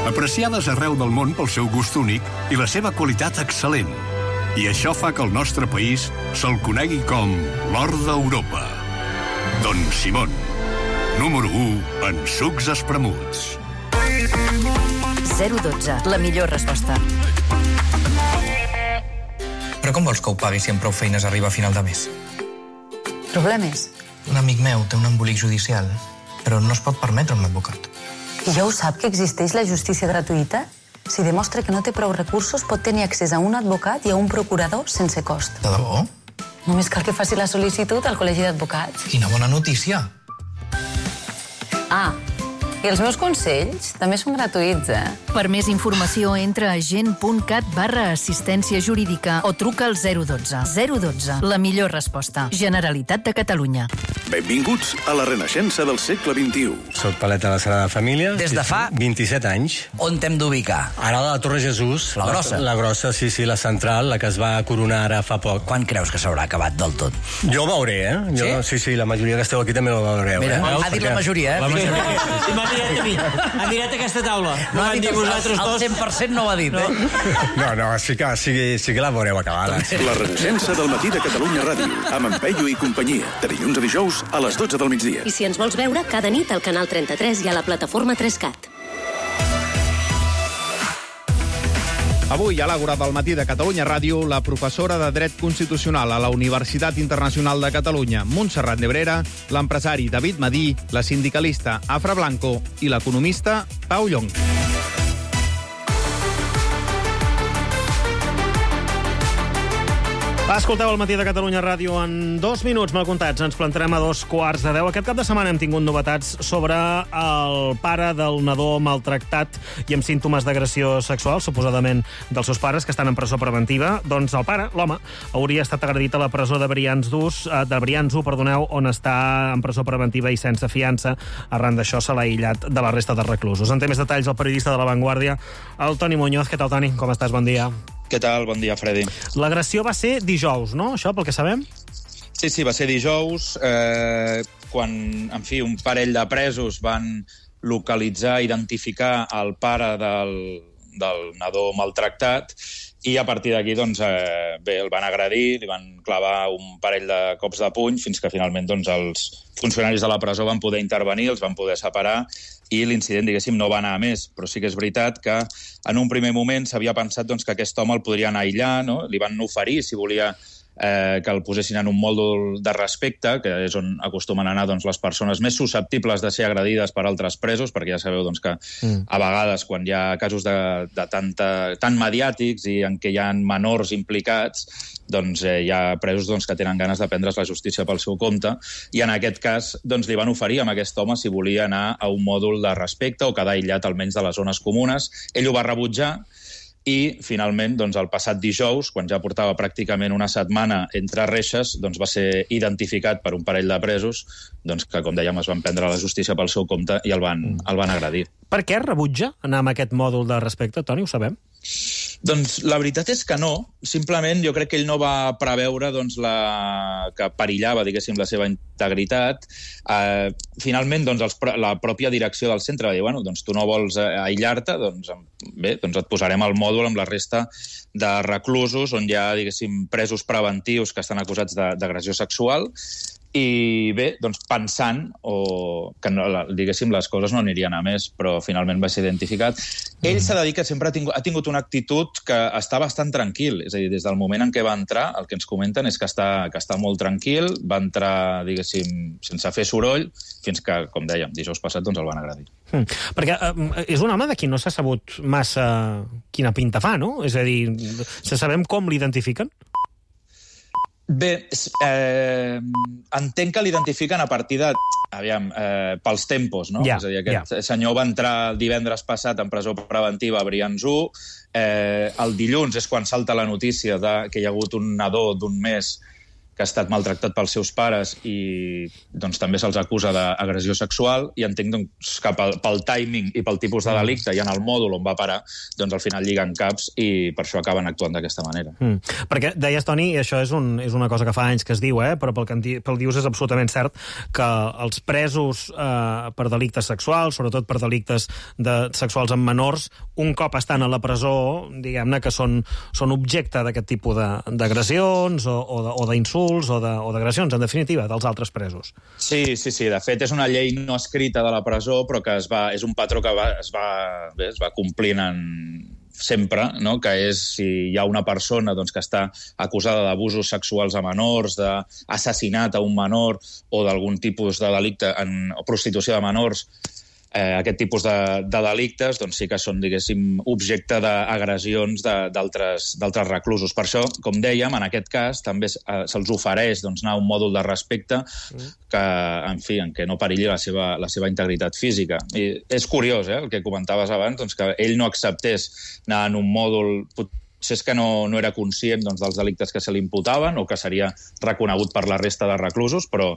Apreciades arreu del món pel seu gust únic i la seva qualitat excel·lent. I això fa que el nostre país se'l conegui com l'or d'Europa. Don Simón, número u en sucs espremuts. zero dotze, la millor resposta. Però com vols que ho pagui si amb prou feines arriba a final de mes? Problemes? Un amic meu té un embolic judicial, però no es pot permetre un advocat. I ja ho sap que existeix la justícia gratuïta? Si demostra que no té prou recursos, pot tenir accés a un advocat i a un procurador sense cost. De debò? Només cal que faci la sol·licitud al Col·legi d'Advocats. Quina bona notícia! Ah, i els meus consells també són gratuïts, eh? Per més informació, entra a gent.cat barra assistència jurídica o truca al zero dotze. zero dotze, la millor resposta. Generalitat de Catalunya. Benvinguts a la renaixença del segle vint-i-u. Soc paleta de la Sagrada Família. Des de fa... vint-i-set anys. On t'hem d'ubicar? Ara la Torre Jesús. La grossa? La, la grossa, sí, sí, la central, la que es va coronar ara fa poc. Quan creus que s'haurà acabat del tot? Jo ho veuré, eh? Jo, sí? Sí, sí, la majoria que esteu aquí també ho veureu. Mira, eh? ha dit la majoria, eh? La majoria. Sí, m'ha mirat a mi. Ha mirat aquesta taula. No, no ha dit vosaltres dos. El cent per cent no ho ha dit, eh? No, no, sí que, sí, sí que la veureu acabada. La renaixença del matí de Catalunya Ràdio, amb en Peyu i companyia, de dilluns a dijous a les dotze del migdia. I si ens vols veure, cada nit al canal trenta-tres i a la plataforma tres cat. Avui, a l'Àgora del matí de Catalunya Ràdio, la professora de Dret Constitucional a la Universitat Internacional de Catalunya, Montserrat Nebrera, l'empresari David Madí, la sindicalista Afra Blanco i l'economista Pau Llong. Escolteu el matí de Catalunya Ràdio en dos minuts mal comptats. Ens plantarem a dos quarts de deu. Aquest cap de setmana hem tingut novetats sobre el pare del nadó maltractat i amb símptomes d'agressió sexual, suposadament dels seus pares, que estan en presó preventiva. Doncs el pare, l'home, hauria estat agredit a la presó de Brians-Dús, de Brians-U, perdoneu, on està en presó preventiva i sense fiança. Arran d'això se l'ha aïllat de la resta de reclusos. En té més detalls el periodista de La Vanguardia, el Toni Muñoz. Què tal, Toni? Com estàs? Bon dia. Què tal? Bon dia, Freddy. L'agressió va ser dijous, no? Això, pel que sabem? Sí, sí, va ser dijous, eh, quan, en fi, un parell de presos van localitzar, identificar el pare del, del nadó maltractat i a partir d'aquí, doncs, eh, bé, el van agredir, li van clavar un parell de cops de puny fins que finalment, doncs, els funcionaris de la presó van poder intervenir, els van poder separar i l'incident, diguéssim, no va anar a més. Però sí que és veritat que en un primer moment s'havia pensat doncs, que aquest home el podrien aïllar, no? Li van oferir, si volia, eh, que el posessin en un mòdul de respecte, que és on acostumen a anar doncs, les persones més susceptibles de ser agredides per altres presos, perquè ja sabeu doncs, que mm. a vegades, quan hi ha casos de, de tanta, tan mediàtics i en què hi ha menors implicats, doncs eh, hi ha presos doncs, que tenen ganes de prendre's la justícia pel seu compte, i en aquest cas doncs, li van oferir a aquest home si volia anar a un mòdul de respecte o quedar aïllat almenys de les zones comunes. Ell ho va rebutjar, i finalment doncs, el passat dijous, quan ja portava pràcticament una setmana entre reixes, doncs, va ser identificat per un parell de presos doncs, que, com dèiem, es van prendre la justícia pel seu compte i el van, el van agredir. Per què rebutja anar amb aquest mòdul de respecte, Toni, ho sabem? Doncs la veritat és que no. Simplement jo crec que ell no va preveure doncs, la... que perillava, diguéssim, la seva integritat. Eh, finalment, doncs, els, la pròpia direcció del centre va dir, bueno, doncs tu no vols aïllar-te, doncs bé, doncs et posarem el mòdul amb la resta de reclusos on hi ha, diguéssim, presos preventius que estan acusats d'agressió sexual. I bé, doncs pensant o que, no, diguéssim, les coses no anirien a més, però finalment va ser identificat. Ell s'ha de dir que sempre ha tingut, ha tingut una actitud que està bastant tranquil. És a dir, des del moment en què va entrar, el que ens comenten és que està, que està molt tranquil, va entrar, diguéssim, sense fer soroll, fins que, com dèiem, dijous passat doncs el van agredir. Mm. Perquè eh, és un home de qui no s'ha sabut massa quina pinta fa, no? És a dir, se sabem com l'identifiquen? Bé, eh, entenc que l'identifiquen a partir de, aviam, eh, pels tempos, no? Yeah, és a dir, aquest yeah. senyor va entrar el divendres passat en presó preventiva a Brians u, eh, el dilluns és quan salta la notícia de que hi ha hagut un nadó d'un mes que ha estat maltractat pels seus pares i doncs, també se'ls acusa d'agressió sexual i entenc doncs, que pel, pel timing i pel tipus de delicte i en el mòdul on va parar, doncs al final lliguen caps i per això acaben actuant d'aquesta manera. Mm. Perquè deies, Toni, i això és, un, és una cosa que fa anys que es diu, eh? Però pel que pel dius és absolutament cert que els presos eh, per delictes sexuals, sobretot per delictes de, sexuals amb menors, un cop estan a la presó, diguem-ne que són, són objecte d'aquest tipus d'agressions o, o d'insults o d'agressions, en definitiva, dels altres presos. Sí, sí, sí. De fet, és una llei no escrita de la presó, però que es va, és un patró que va, es, va, bé, es va complint en sempre, no? Que és si hi ha una persona doncs, que està acusada d'abusos sexuals a menors, d'assassinat a un menor o d'algun tipus de delicte en o prostitució de menors, eh, aquest tipus de, de delictes doncs sí que són, diguéssim, objecte d'agressions d'altres d'altres reclusos. Per això, com dèiem, en aquest cas també eh, se'ls ofereix doncs, anar a un mòdul de respecte que, en fi, en què no perilli la seva, la seva integritat física. I és curiós, eh, el que comentaves abans, doncs, que ell no acceptés anar en un mòdul... Si és que no, no era conscient doncs, dels delictes que se li imputaven o que seria reconegut per la resta de reclusos, però,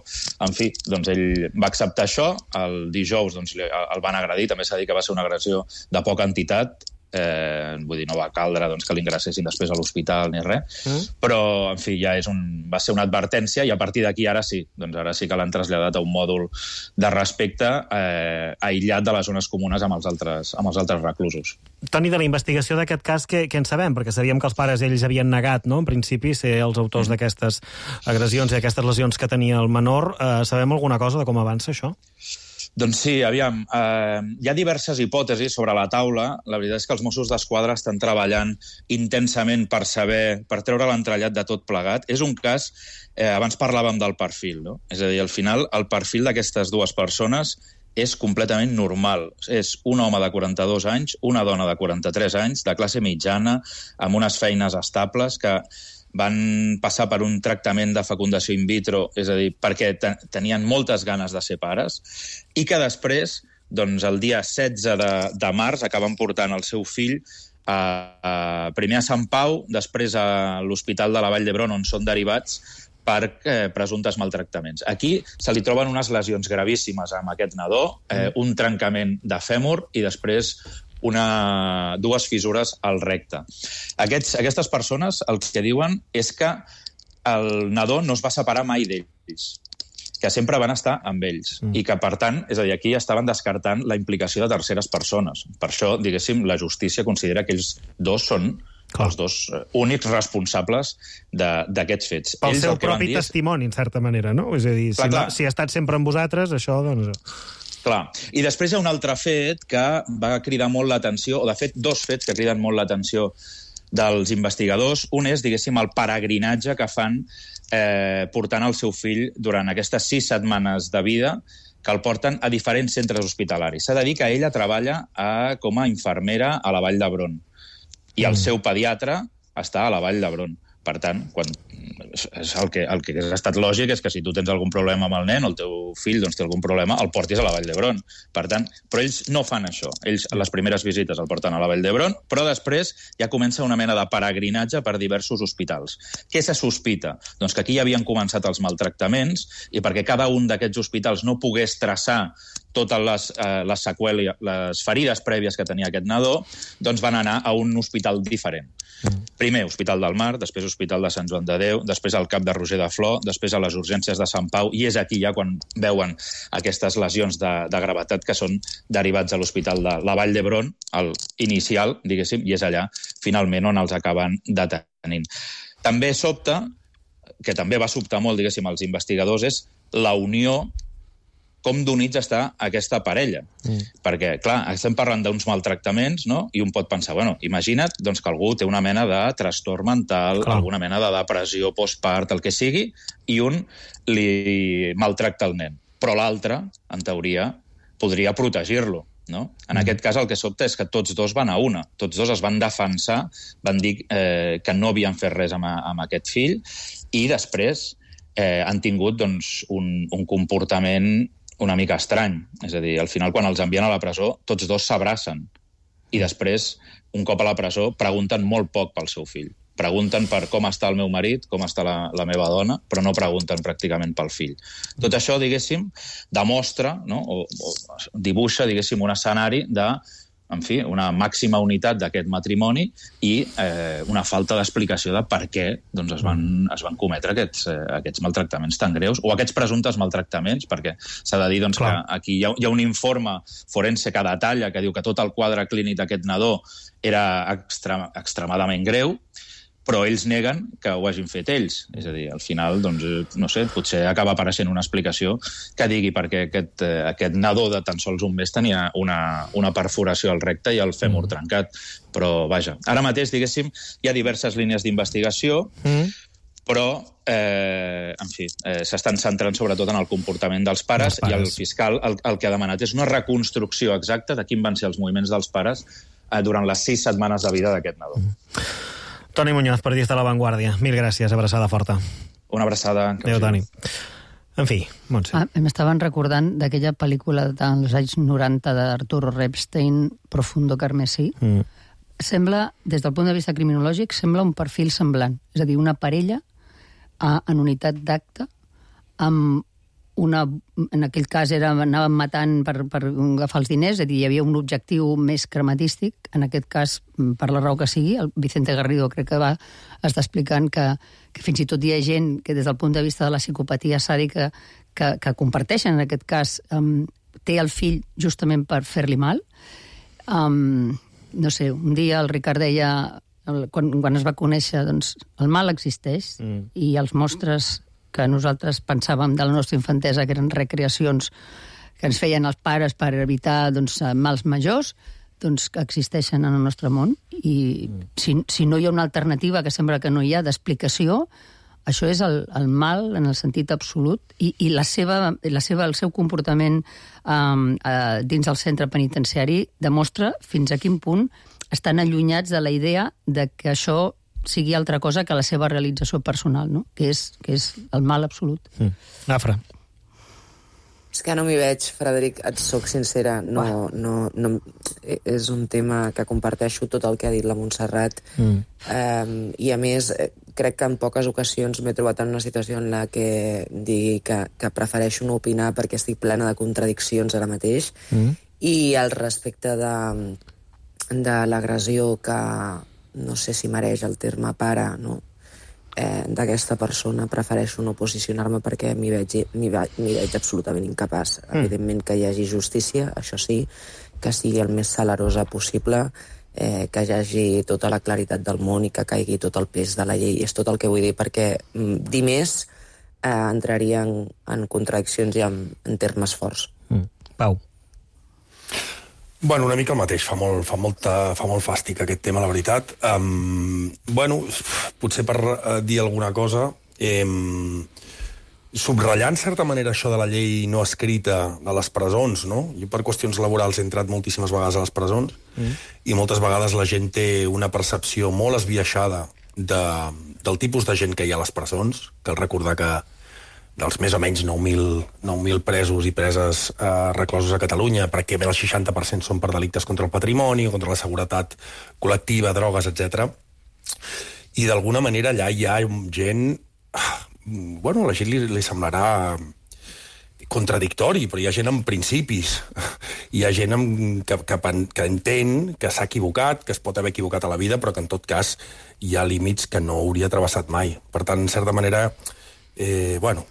en fi, doncs, ell va acceptar això. El dijous doncs, el van agredir, també s'ha dit que va ser una agressió de poca entitat, eh, vull dir, no va caldre doncs, que l'ingressessin després a l'hospital ni res, mm. però, en fi, ja és un, va ser una advertència i a partir d'aquí ara sí, doncs ara sí que l'han traslladat a un mòdul de respecte eh, aïllat de les zones comunes amb els altres, amb els altres reclusos. Toni, de la investigació d'aquest cas, què, què en sabem? Perquè sabíem que els pares ells havien negat, no?, en principi, ser els autors mm. d'aquestes agressions i aquestes lesions que tenia el menor. Eh, sabem alguna cosa de com avança això? Doncs sí, aviam, eh, hi ha diverses hipòtesis sobre la taula. La veritat és que els Mossos d'Esquadra estan treballant intensament per saber, per treure l'entrellat de tot plegat. És un cas, eh, abans parlàvem del perfil, no? És a dir, al final, el perfil d'aquestes dues persones és completament normal. És un home de quaranta-dos anys, una dona de quaranta-tres anys, de classe mitjana, amb unes feines estables que van passar per un tractament de fecundació in vitro, és a dir, perquè ten tenien moltes ganes de ser pares, i que després, doncs, el dia setze de, de març, acaben portant el seu fill a, a, primer a Sant Pau, després a l'Hospital de la Vall d'Hebron, on són derivats per eh, presumptes maltractaments. Aquí se li troben unes lesions gravíssimes amb aquest nadó, eh, un trencament de fèmur i després una, dues fissures al recte. Aquests, aquestes persones el que diuen és que el nadó no es va separar mai d'ells, que sempre van estar amb ells mm. i que, per tant, és a dir, aquí estaven descartant la implicació de terceres persones. Per això, diguéssim, la justícia considera que ells dos són Clar. els dos únics responsables d'aquests fets. Pel ells seu propi testimoni, en certa manera, no? És a dir, clar, si, clar. No, si ha estat sempre amb vosaltres, això, doncs... Clar. I després hi ha un altre fet que va cridar molt l'atenció, o de fet dos fets que criden molt l'atenció dels investigadors. Un és, diguéssim, el peregrinatge que fan eh, portant el seu fill durant aquestes sis setmanes de vida que el porten a diferents centres hospitalaris. S'ha de dir que ella treballa a, com a infermera a la Vall d'Hebron i el seu pediatre està a la Vall d'Hebron. Per tant, quan, és el, que, el que ha estat lògic és que si tu tens algun problema amb el nen o el teu fill doncs, té algun problema, el portis a la Vall d'Hebron. Per tant, però ells no fan això. Ells, a les primeres visites, el porten a la Vall d'Hebron, però després ja comença una mena de peregrinatge per diversos hospitals. Què se sospita? Doncs que aquí ja havien començat els maltractaments i perquè cada un d'aquests hospitals no pogués traçar totes les, eh, les seqüeles, les ferides prèvies que tenia aquest nadó, doncs van anar a un hospital diferent. Mm. Primer, Hospital del Mar, després Hospital de Sant Joan de Déu, després al Cap de Roger de Flor, després a les urgències de Sant Pau, i és aquí ja quan veuen aquestes lesions de, de gravetat que són derivats a l'Hospital de la Vall d'Hebron, el inicial, diguéssim, i és allà, finalment, on els acaben detenint. També sobta, que també va sobtar molt, diguéssim, als investigadors, és la unió com d'units està aquesta parella. Mm. Perquè, clar, estem parlant d'uns maltractaments, no? I un pot pensar, bueno, imagina't doncs, que algú té una mena de trastorn mental, clar, alguna mena de depressió postpart, el que sigui, i un li maltracta el nen. Però l'altre, en teoria, podria protegir-lo. No? En mm. aquest cas el que sobta és que tots dos van a una. Tots dos es van defensar, van dir eh, que no havien fet res amb, amb aquest fill i després eh, han tingut doncs, un, un comportament una mica estrany. És a dir, al final, quan els envien a la presó, tots dos s'abracen. I després, un cop a la presó, pregunten molt poc pel seu fill. Pregunten per com està el meu marit, com està la, la meva dona, però no pregunten pràcticament pel fill. Tot això, diguéssim, demostra, no? o, o dibuixa, diguéssim, un escenari de, en fi, una màxima unitat d'aquest matrimoni i eh, una falta d'explicació de per què doncs, es, van, es van cometre aquests, eh, aquests maltractaments tan greus, o aquests presumptes maltractaments, perquè s'ha de dir doncs, que aquí hi ha, hi ha un informe forense que detalla, que diu que tot el quadre clínic d'aquest nadó era extrem, extremadament greu, però ells neguen que ho hagin fet ells. És a dir, al final, doncs, no sé, potser acaba apareixent una explicació que digui perquè aquest, eh, aquest nadó de tan sols un mes tenia una, una perforació al recte i el fèmur mm. trencat. Però, vaja, ara mateix, diguéssim, hi ha diverses línies d'investigació, mm. però, eh, en fi, eh, s'estan centrant sobretot en el comportament dels pares, pares. I el fiscal el, el que ha demanat és una reconstrucció exacta de quin van ser els moviments dels pares eh, durant les sis setmanes de vida d'aquest nadó. Mm. Toni Muñoz, periodista de La Vanguardia. Mil gràcies, abraçada forta. Una abraçada. Adéu, Toni. En fi, Montse. Ah, m'estaven recordant d'aquella pel·lícula dels anys noranta d'Arturo Epstein, Profundo Carmesí. Mm. Sembla, des del punt de vista criminològic, sembla un perfil semblant. És a dir, una parella a, en unitat d'acte amb una, en aquell cas era, anaven matant per, per agafar els diners, és a dir, hi havia un objectiu més crematístic, en aquest cas, per la raó que sigui, el Vicente Garrido crec que va estar explicant que, que fins i tot hi ha gent que des del punt de vista de la psicopatia sàdica que, que comparteixen, en aquest cas, um, té el fill justament per fer-li mal. Um, no sé, un dia el Ricard deia, el, quan, quan es va conèixer, doncs, el mal existeix mm. i els mostres que nosaltres pensàvem de la nostra infantesa que eren recreacions que ens feien els pares per evitar doncs, mals majors, doncs que existeixen en el nostre món. I mm. si, si no hi ha una alternativa, que sembla que no hi ha, d'explicació, això és el, el mal en el sentit absolut i, i la seva, la seva, el seu comportament um, uh, dins el centre penitenciari demostra fins a quin punt estan allunyats de la idea de que això sigui altra cosa que la seva realització personal, no? que, és, que és el mal absolut. Mm. Afra. És que no m'hi veig, Frederic, et soc sincera. No, no, no, és un tema que comparteixo tot el que ha dit la Montserrat. Mm. Um, I, a més, crec que en poques ocasions m'he trobat en una situació en la que digui que, que prefereixo no opinar perquè estic plena de contradiccions ara mateix. Mm. I al respecte de, de l'agressió que no sé si mereix el terme pare, no? eh, d'aquesta persona, prefereixo no posicionar-me perquè m'hi veig, m'hi veig, m'hi veig absolutament incapaç. Mm. Evidentment que hi hagi justícia, això sí, que sigui el més salarosa possible, eh, que hi hagi tota la claritat del món i que caigui tot el pes de la llei. És tot el que vull dir, perquè mm, dir més eh, entraria en, en contradiccions i en, en termes forts. Mm. Pau. Bueno, una mica el mateix, fa molt, fa molta, fa molt fàstic aquest tema, la veritat. Um, bueno, potser per uh, dir alguna cosa, eh, subratllar en certa manera això de la llei no escrita a les presons, no? Jo per qüestions laborals he entrat moltíssimes vegades a les presons mm. i moltes vegades la gent té una percepció molt esbiaixada de, del tipus de gent que hi ha a les presons. Cal recordar que dels més o menys nou mil presos i preses eh, reclosos a Catalunya, pràcticament el seixanta per cent són per delictes contra el patrimoni, contra la seguretat col·lectiva, drogues, etcètera. I d'alguna manera allà hi ha gent... Bueno, a la gent li, li semblarà contradictori, però hi ha gent amb principis. Hi ha gent amb, que, que, que entén que s'ha equivocat, que es pot haver equivocat a la vida, però que en tot cas hi ha límits que no hauria travessat mai. Per tant, en certa manera, eh, bueno,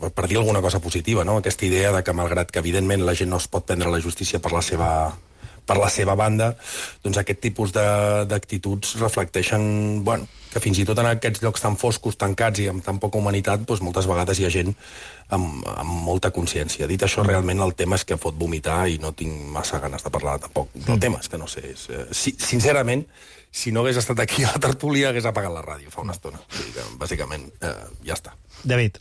per dir alguna cosa positiva, no? Aquesta idea de que, malgrat que evidentment la gent no es pot prendre la justícia per la seva, per la seva banda, doncs aquest tipus d'actituds reflecteixen, bueno, que fins i tot en aquests llocs tan foscos, tancats i amb tan poca humanitat, doncs moltes vegades hi ha gent amb, amb molta consciència. Dit això, realment el tema és que fot vomitar i no tinc massa ganes de parlar tampoc del tema, és que no sé. És, eh, si, sincerament, si no hagués estat aquí a la tertúlia, hagués apagat la ràdio fa una estona. O sigui que, bàsicament, eh, ja està. David.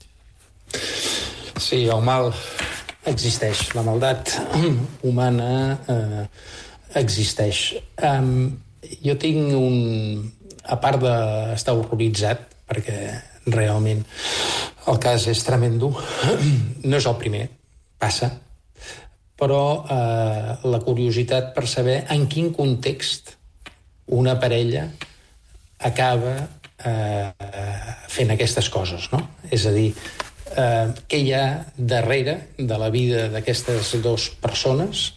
Sí, el mal existeix. La maldat humana eh, existeix. Um, jo tinc un... A part d'estar horroritzat, perquè realment el cas és tremendo, no és el primer, passa, però eh, la curiositat per saber en quin context una parella acaba eh, fent aquestes coses, no? És a dir, eh, què hi ha darrere de la vida d'aquestes dues persones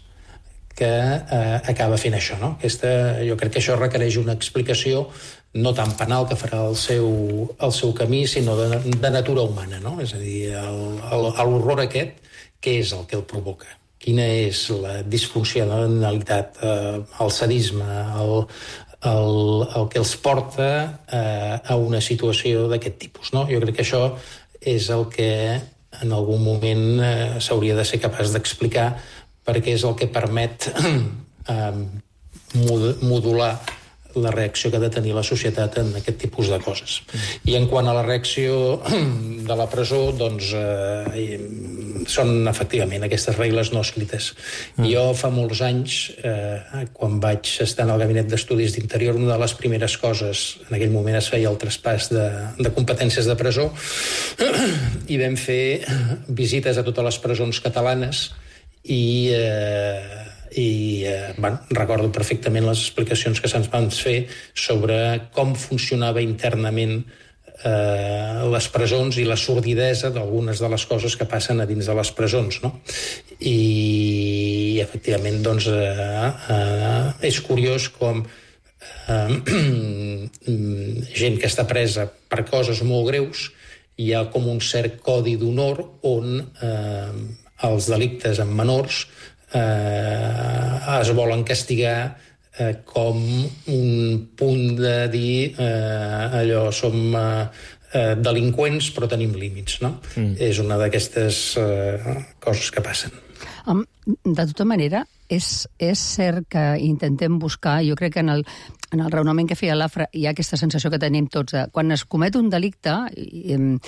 que eh, acaba fent això, no? Aquesta, jo crec que això requereix una explicació no tant penal, que farà el seu, el seu camí, sinó de, de natura humana, no? És a dir, l'horror aquest, què és el que el provoca? Quina és la disfuncionalitat, eh, el sadisme, el, el, el que els porta eh, a una situació d'aquest tipus, no? Jo crec que això és el que en algun moment eh, s'hauria de ser capaç d'explicar, perquè és el que permet eh, modular la reacció que ha de tenir la societat en aquest tipus de coses. I en quant a la reacció de la presó, doncs eh, són efectivament aquestes regles no escrites. Mm. Jo fa molts anys, eh, quan vaig estar en el Gabinet d'Estudis d'Interior, una de les primeres coses, en aquell moment es feia el traspàs de, de competències de presó, i vam fer visites a totes les presons catalanes i... Eh, i eh, bueno, recordo perfectament les explicacions que se'ns van fer sobre com funcionava internament eh, les presons i la sordidesa d'algunes de les coses que passen a dins de les presons, no? I efectivament doncs eh, eh, és curiós com eh, gent que està presa per coses molt greus, hi ha com un cert codi d'honor on eh, els delictes amb menors Eh, es volen castigar eh, com un punt de dir eh, allò, som eh, delinqüents però tenim límits, no? Mm. És una d'aquestes eh, coses que passen. Um, de tota manera, és, és cert que intentem buscar, jo crec que en el, en el raonament que feia l'Afra hi ha aquesta sensació que tenim tots, de, quan es comet un delicte, eh,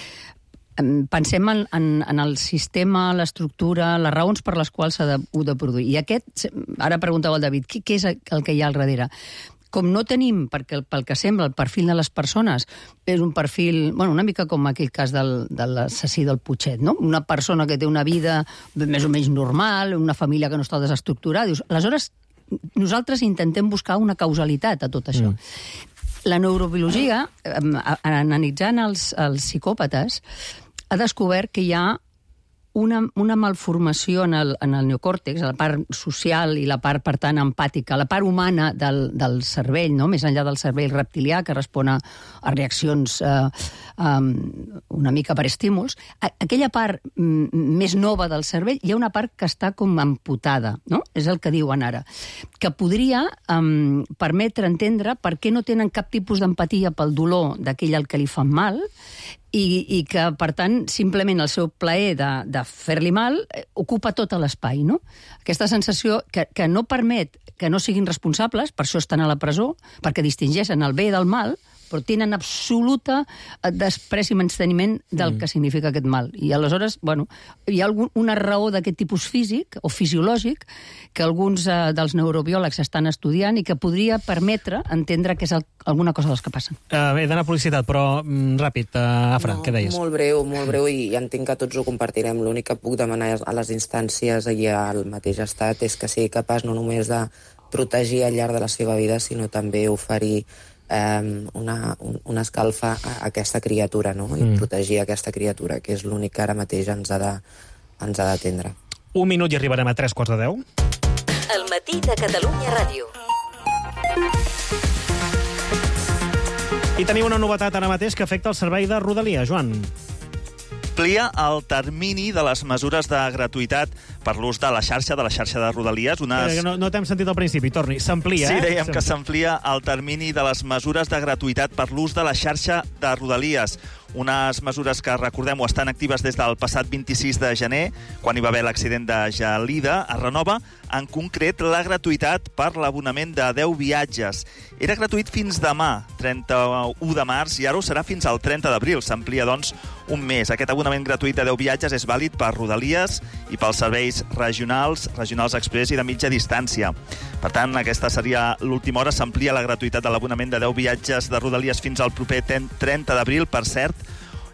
pensem en, en, en el sistema, l'estructura, les raons per les quals s'ha de, de produir. I aquest, ara preguntava el David, què, què és el que hi ha al darrere? Com no tenim, perquè pel que sembla, el perfil de les persones és un perfil, bueno, una mica com aquell cas del, de l'assassí del Putxet, no? Una persona que té una vida més o menys normal, una família que no està desestructurada. Dius, aleshores, nosaltres intentem buscar una causalitat a tot això. Mm. La neurobiologia, analitzant els, els psicòpates, ha descobert que hi ha una, una malformació en el, en el neocòrtex, la part social i la part, per tant, empàtica, la part humana del, del cervell, no? Més enllà del cervell reptilià, que respon a, a reaccions eh, um, una mica per estímuls. A, aquella part m, més nova del cervell, hi ha una part que està com amputada, no? És el que diuen ara. Que podria um, permetre entendre per què no tenen cap tipus d'empatia pel dolor d'aquell al que li fan mal, i, i que, per tant, simplement el seu plaer de, de fer-li mal eh, ocupa tot l'espai, no? Aquesta sensació que, que no permet que no siguin responsables, per això estan a la presó, perquè distingeixen el bé del mal, però tenen absoluta despreci i menysteniment del mm. que significa aquest mal. I aleshores, bueno, hi ha algun, una raó d'aquest tipus físic o fisiològic que alguns eh, dels neurobiòlegs estan estudiant i que podria permetre entendre que és el, alguna cosa dels que passen. Uh, bé, d'anar a publicitat, però mm, ràpid, uh, Afra, no, què deies? Molt breu, molt breu, i entenc que tots ho compartirem. L'únic que puc demanar a les instàncies i al mateix estat és que sigui capaç no només de protegir al llarg de la seva vida, sinó també oferir Um, una, un, una escalfa a aquesta criatura, no? I mm. protegir aquesta criatura, que és l'únic que ara mateix ens ha de, ens ha d'atendre. Un minut i arribarem a tres quarts de deu. El matí de Catalunya Ràdio. I tenim una novetat ara mateix que afecta el servei de Rodalia. Joan. Amplia el termini de les mesures de gratuïtat per l'ús de la xarxa, de la xarxa de Rodalies. Unes... Eh, no no t'hem sentit al principi, torni. S'amplia, sí, eh? Sí, dèiem que s'amplia el termini de les mesures de gratuïtat per l'ús de la xarxa de Rodalies. Unes mesures que, recordem-ho, estan actives des del passat vint-i-sis de gener, quan hi va haver l'accident de Gelida. Es renova, en concret, la gratuïtat per l'abonament de deu viatges. Era gratuït fins demà, trenta-u de març, i ara ho serà fins al trenta d'abril. S'amplia, doncs, un mes. Aquest abonament gratuït de deu viatges és vàlid per Rodalies i pels serveis regionals, regionals express i de mitja distància. Per tant, aquesta seria l'última hora. S'amplia la gratuïtat de l'abonament de deu viatges de Rodalies fins al proper trenta d'abril. Per cert,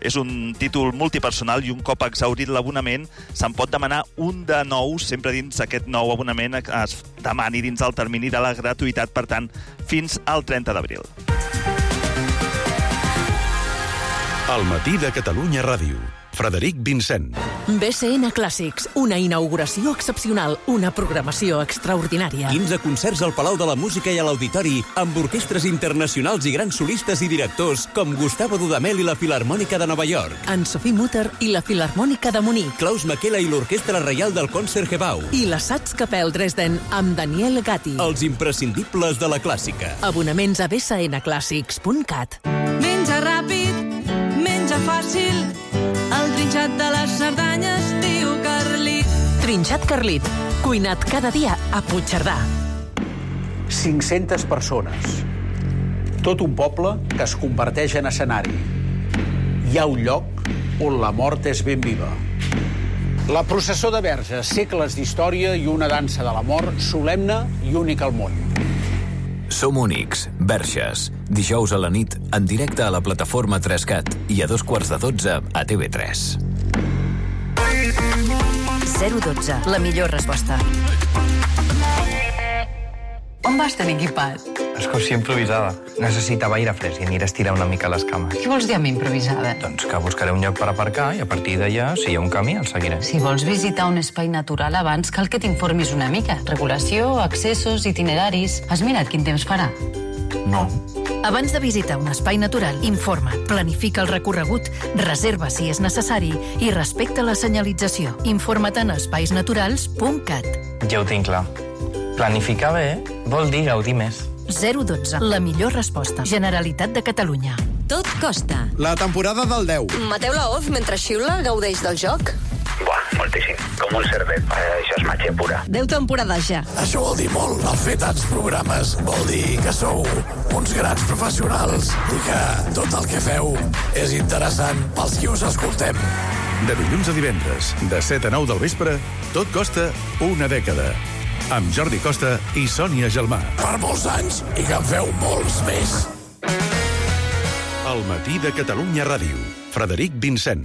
és un títol multipersonal i un cop exhaurit l'abonament se'n pot demanar un de nou, sempre dins aquest nou abonament es demani dins el termini de la gratuïtat, per tant, fins al trenta d'abril. El matí de Catalunya Ràdio. Frederic Vincent. B C N Clàssics, una inauguració excepcional, una programació extraordinària. quinze concerts al Palau de la Música i a l'Auditori, amb orquestres internacionals i grans solistes i directors com Gustavo Dudamel i la Filarmònica de Nova York. Anne-Sophie Mutter i la Filarmònica de Munic. Klaus Makela i l'Orquestra Reial del Concertgebouw. I la Staatskapelle Dresden amb Daniel Gatti. Els imprescindibles de la clàssica. Abonaments a b c n clàssics punt cat. Menja ràpid, menja fàcil, el trinxat de les Cerdanyes diu Carlit. Trinxat Carlit, cuinat cada dia a Puigcerdà. cinc-centes persones. Tot un poble que es converteix en escenari. Hi ha un lloc on la mort és ben viva. La processó de Verges, segles d'història i una dansa de la mort solemne i única al món. Som únics, Verges. Dijous a la nit, en directe a la plataforma tres cat i a dos quarts de dotze a T V tres. zero dotze, la millor resposta. On vas tan equipat? Excursió improvisada. Necessitava aire fresc i aniré a estirar una mica les cames. Què vols dir amb improvisada? Doncs que buscaré un lloc per aparcar i a partir d'allà, si hi ha un camí, el seguiré. Si vols visitar un espai natural abans, cal que t'informis una mica. Regulació, accessos, itineraris... Has mirat quin temps farà? No. Abans de visitar un espai natural, informa't, planifica el recorregut, reserva si és necessari i respecta la senyalització. Informa't en espaisnaturals punt cat. Ja ho tinc clar. Planificar bé vol dir gaudir més. zero dotze, la millor resposta. Generalitat de Catalunya. Tot costa. La temporada del deu. Mateu la Oz mentre xiula gaudeix del joc? Buah, moltíssim. Com un cervet. Eh, això és màgia pura. Deu temporades ja. Això vol dir molt. El fer tants programes vol dir que sou uns grans professionals i que tot el que feu és interessant pels qui us escoltem. De dilluns a divendres, de set a nou del vespre, tot costa una dècada. Amb Jordi Costa i Sònia Gelmà. Per molts anys i que en feu molts més. El matí de Catalunya Ràdio. Frederic Vincent.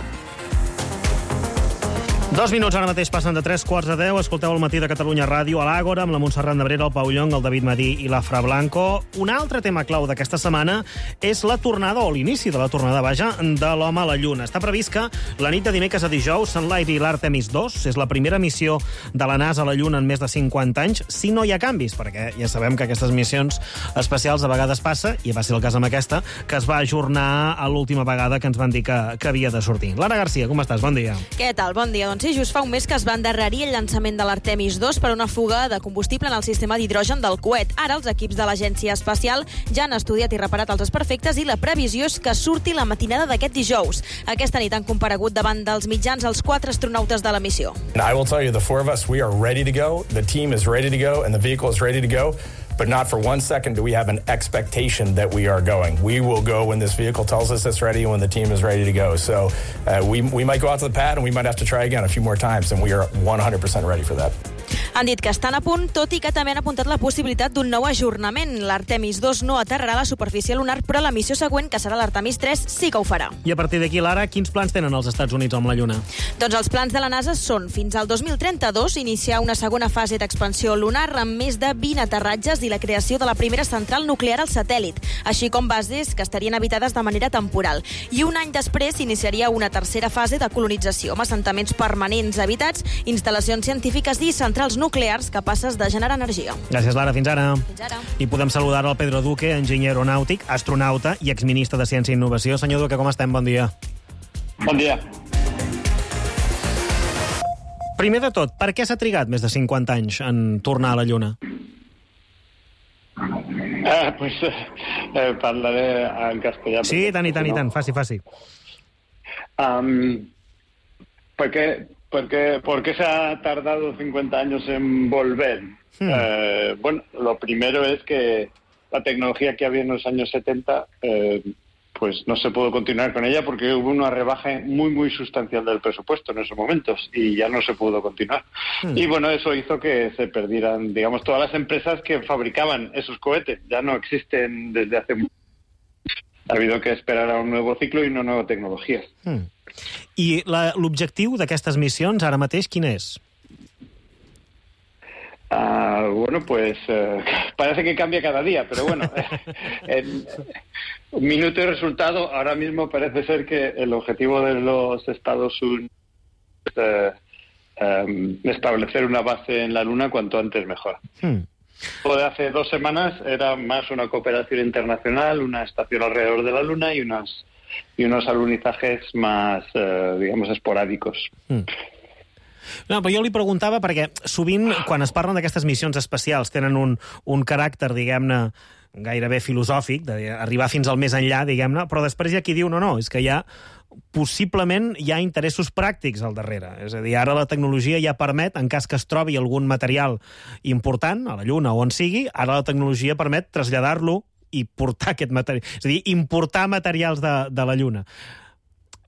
Dos minuts ara mateix passen de tres quarts de deu. Escolteu el matí de Catalunya Ràdio a l'Àgora amb la Montserrat Nebrera, el Pau Llong, el David Madí i l'Afra Blanco. Un altre tema clau d'aquesta setmana és la tornada, o l'inici de la tornada, vaja, de l'home a la Lluna. Està previst que la nit de dimecres a dijous s'enlairi l'Artemis dos. És la primera missió de la NASA a la Lluna en més de cinquanta anys, si no hi ha canvis, perquè ja sabem que aquestes missions espacials a vegades passa, i va ser el cas amb aquesta, que es va ajornar a l'última vegada que ens van dir que, que havia de sortir. Lara Garcia, com estàs? Bon dia. Què tal? Bon dia. Doncs sí, just fa un mes que es va endarrerir el llançament de l'Artemis dos per una fuga de combustible en el sistema d'hidrogen del coet. Ara els equips de l'Agència Espacial ja han estudiat i reparat els desperfectes i la previsió és que surti la matinada d'aquest dijous. Aquesta nit han comparegut davant dels mitjans els quatre astronautes de la missió. I will tell you, the four of us, we are ready to go. The team is ready to go and the vehicle is ready to go. but not for one second do we have an expectation that we are going. We will go when this vehicle tells us it's ready and when the team is ready to go. So uh, we, we might go out to the pad and we might have to try again a few more times, and we are one hundred percent ready for that. Han dit que estan a punt, tot i que també han apuntat la possibilitat d'un nou ajornament. L'Artemis dos no aterrarà a la superfície lunar, però la missió següent, que serà l'Artemis tres, sí que ho farà. I a partir d'aquí, Lara, quins plans tenen els Estats Units amb la Lluna? Doncs els plans de la NASA són, fins al dos mil trenta-dos, iniciar una segona fase d'expansió lunar amb més de vint aterratges i la creació de la primera central nuclear al satèl·lit, així com bases que estarien habitades de manera temporal. I un any després s'iniciaria una tercera fase de colonització, amb assentaments permanents habitats, instal·lacions científiques i centrals nuclears capaces de generar energia. Gràcies, Lara. Fins ara. Fins ara. I podem saludar el Pedro Duque, enginyer aeronàutic, astronauta i exministre de Ciència i Innovació. Senyor Duque, com estem? Bon dia. Bon dia. Primer de tot, per què s'ha trigat més de cinquanta anys en tornar a la Lluna? Eh, pues eh, parlaré en castellà. Sí, i tant, i tant, i tant. Faci, faci. Um, ¿por qué, por qué, ¿Por qué se ha tardado cincuenta años en volver? Hmm. Eh, bueno, lo primero es que la tecnología que había en los años setenta... Eh, pues no se pudo continuar con ella porque hubo una rebaja muy, muy sustancial del presupuesto en esos momentos y ya no se pudo continuar. Hmm. Y bueno, eso hizo que se perdieran, digamos, todas las empresas que fabricaban esos cohetes. Ya no existen desde hace mucho. Ha habido que esperar a un nuevo ciclo y una nueva tecnología. Hmm. I l'objectiu d'aquestes missions ara mateix quin és? Uh, bueno, pues uh, parece que cambia cada día, pero bueno, en un minuto y resultado, ahora mismo parece ser que el objetivo de los Estados Unidos es uh, um, establecer una base en la Luna cuanto antes mejor. Hmm. Lo de hace dos semanas era más una cooperación internacional, una estación alrededor de la Luna y, unas, y unos alunizajes más, uh, digamos, esporádicos. Hmm. No, però jo li preguntava perquè sovint, quan es parlen d'aquestes missions espacials, tenen un, un caràcter, diguem-ne, gairebé filosòfic, d'arribar fins al més enllà, diguem-ne, però després hi ha qui diu, no, no, és que hi ha, possiblement hi ha interessos pràctics al darrere. És a dir, ara la tecnologia ja permet, en cas que es trobi algun material important, a la Lluna o on sigui, ara la tecnologia permet traslladar-lo i portar aquest material. És a dir, importar materials de, de la Lluna.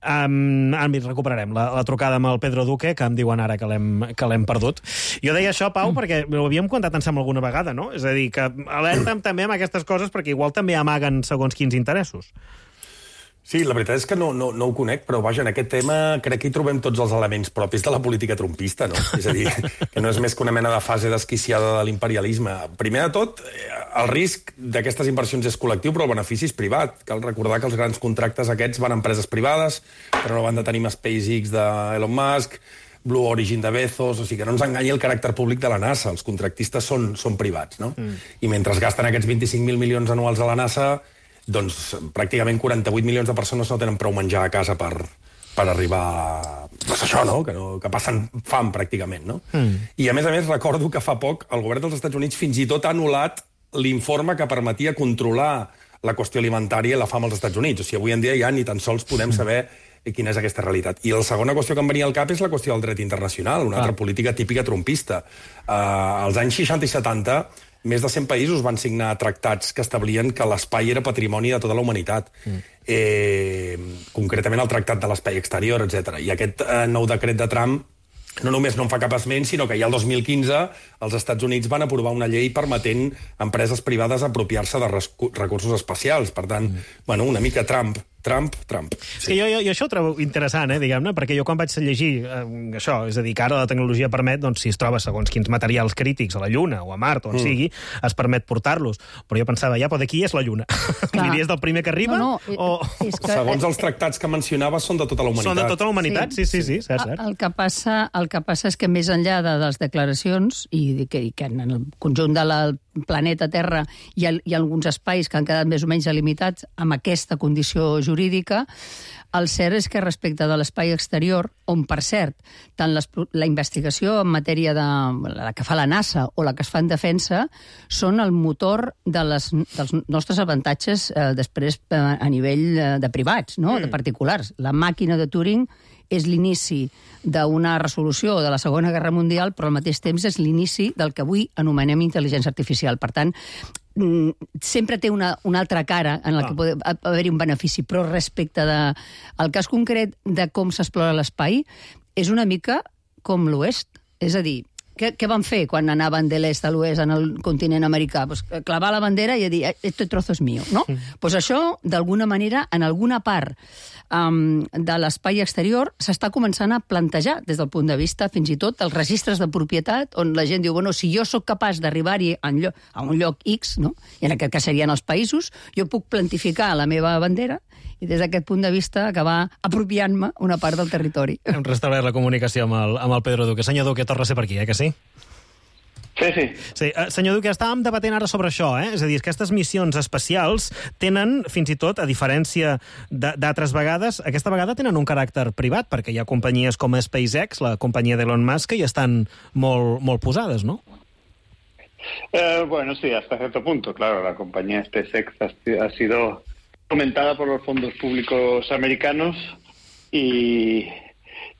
Um, ara recuperarem la, la trucada amb el Pedro Duque, que em diuen ara que l'hem perdut. Jo deia això, Pau, perquè ho havíem contat en sembla alguna vegada, no? És a dir, que alerta'm també amb aquestes coses perquè igual també amaguen segons quins interessos. Sí, la veritat és que no, no, no ho conec, però vaja, en aquest tema crec que hi trobem tots els elements propis de la política trumpista, no? És a dir, que no és més que una mena de fase desquiciada de l'imperialisme. Primer de tot, el risc d'aquestes inversions és col·lectiu, però el benefici és privat. Cal recordar que els grans contractes aquests van a empreses privades, però no van de tenir SpaceX d'Elon Musk, Blue Origin de Bezos, o sigui que no ens enganyi el caràcter públic de la NASA. Els contractistes són, són privats, no? Mm. I mentre es gasten aquests vint-i-cinc mil milions anuals a la NASA, doncs pràcticament quaranta-vuit milions de persones no tenen prou menjar a casa per, per arribar a... Pues això, no? Que, no? que passen fam, pràcticament, no? Mm. I, a més a més, recordo que fa poc el govern dels Estats Units fins i tot ha anul·lat l'informe que permetia controlar la qüestió alimentària i la fam als Estats Units. O sigui, avui en dia ja ni tan sols podem saber quina és aquesta realitat. I la segona qüestió que em venia al cap és la qüestió del dret internacional, una ah. altra política típica trumpista. Uh, als anys seixanta i setanta, més de cent països van signar tractats que establien que l'espai era patrimoni de tota la humanitat. Mm. Eh, concretament el Tractat de l'Espai Exterior, etcètera. I aquest eh, nou decret de Trump no només no en fa cap esment, sinó que ja el dos mil quinze els Estats Units van aprovar una llei permetent a empreses privades apropiar-se de recursos espacials. Per tant, mm. bueno, una mica Trump, Trump, Trump. Sí. Jo, jo, jo això ho trobo interessant, eh, diguem-ne, perquè jo quan vaig llegir eh, això, és a dir, que ara la tecnologia permet, doncs, si es troba segons quins materials crítics a la Lluna o a Mart, on mm. sigui, es permet portar-los. Però jo pensava, ja, però d'aquí és la Lluna. Diries del primer que arriba? No, no, o... és que... Segons els tractats que mencionava, són de tota la humanitat. Són de tota la humanitat, sí, sí, sí, sí, cert, cert. El que passa, el que passa és que més enllà de les declaracions, i que, i que en el conjunt de la planeta Terra hi ha, hi ha alguns espais que han quedat més o menys delimitats amb aquesta condició jurídica, el cert és que respecte de l'espai exterior, on, per cert, tant les, la investigació en matèria de la que fa la NASA o la que es fa en defensa són el motor de les, dels nostres avantatges eh, després eh, a nivell eh, de privats, no? Mm. de particulars. La màquina de Turing és l'inici d'una resolució de la Segona Guerra Mundial, però al mateix temps és l'inici del que avui anomenem intel·ligència artificial. Per tant, sempre té una, una altra cara en la que pot haver-hi un benefici, però respecte de, al cas concret de com s'explora l'espai, és una mica com l'Oest. És a dir, què, què van fer quan anaven de l'est a l'oest en el continent americà? Pues clavar la bandera i dir, este trozo és mío, no? Mm. Pues això, d'alguna manera, en alguna part um, de l'espai exterior, s'està començant a plantejar des del punt de vista, fins i tot, els registres de propietat, on la gent diu, bueno, si jo sóc capaç d'arribar-hi a un lloc X, no? I en aquest cas serien els països, jo puc plantificar la meva bandera i des d'aquest punt de vista acabar apropiant-me una part del territori. Hem restablert la comunicació amb el, amb el Pedro Duque. Senyor Duque, torna a ser per aquí, eh, que sí? Sí, sí. sí uh, senyor Duque, estàvem debatent ara sobre això, eh? És a dir, aquestes missions espacials tenen, fins i tot, a diferència d'altres vegades, aquesta vegada tenen un caràcter privat, perquè hi ha companyies com SpaceX, la companyia d'Elon Musk, que hi estan molt, molt posades, no? Eh, bueno, sí, hasta cierto punto, claro. La compañía SpaceX ha, ha sido fomentada por los fondos públicos americanos y,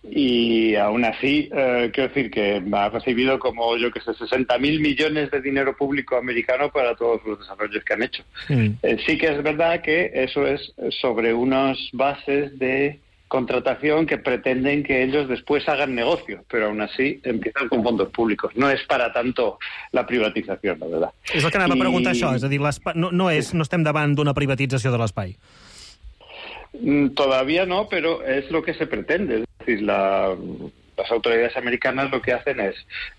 y aún así, eh, quiero decir que ha recibido como, yo que sé, sesenta mil millones de dinero público americano para todos los desarrollos que han hecho. Mm. Eh, sí que es verdad que eso es sobre unas bases de contratación que pretenden que ellos después hagan negocio, pero aún así empiezan con fondos públicos. No es para tanto la privatización, la verdad. És el que anava I... a preguntar això, és a dir, no, no, és, no estem davant d'una privatització de l'espai. Todavía no, pero es lo que se pretende. Es decir, la, las autoridades americanas lo que hacen es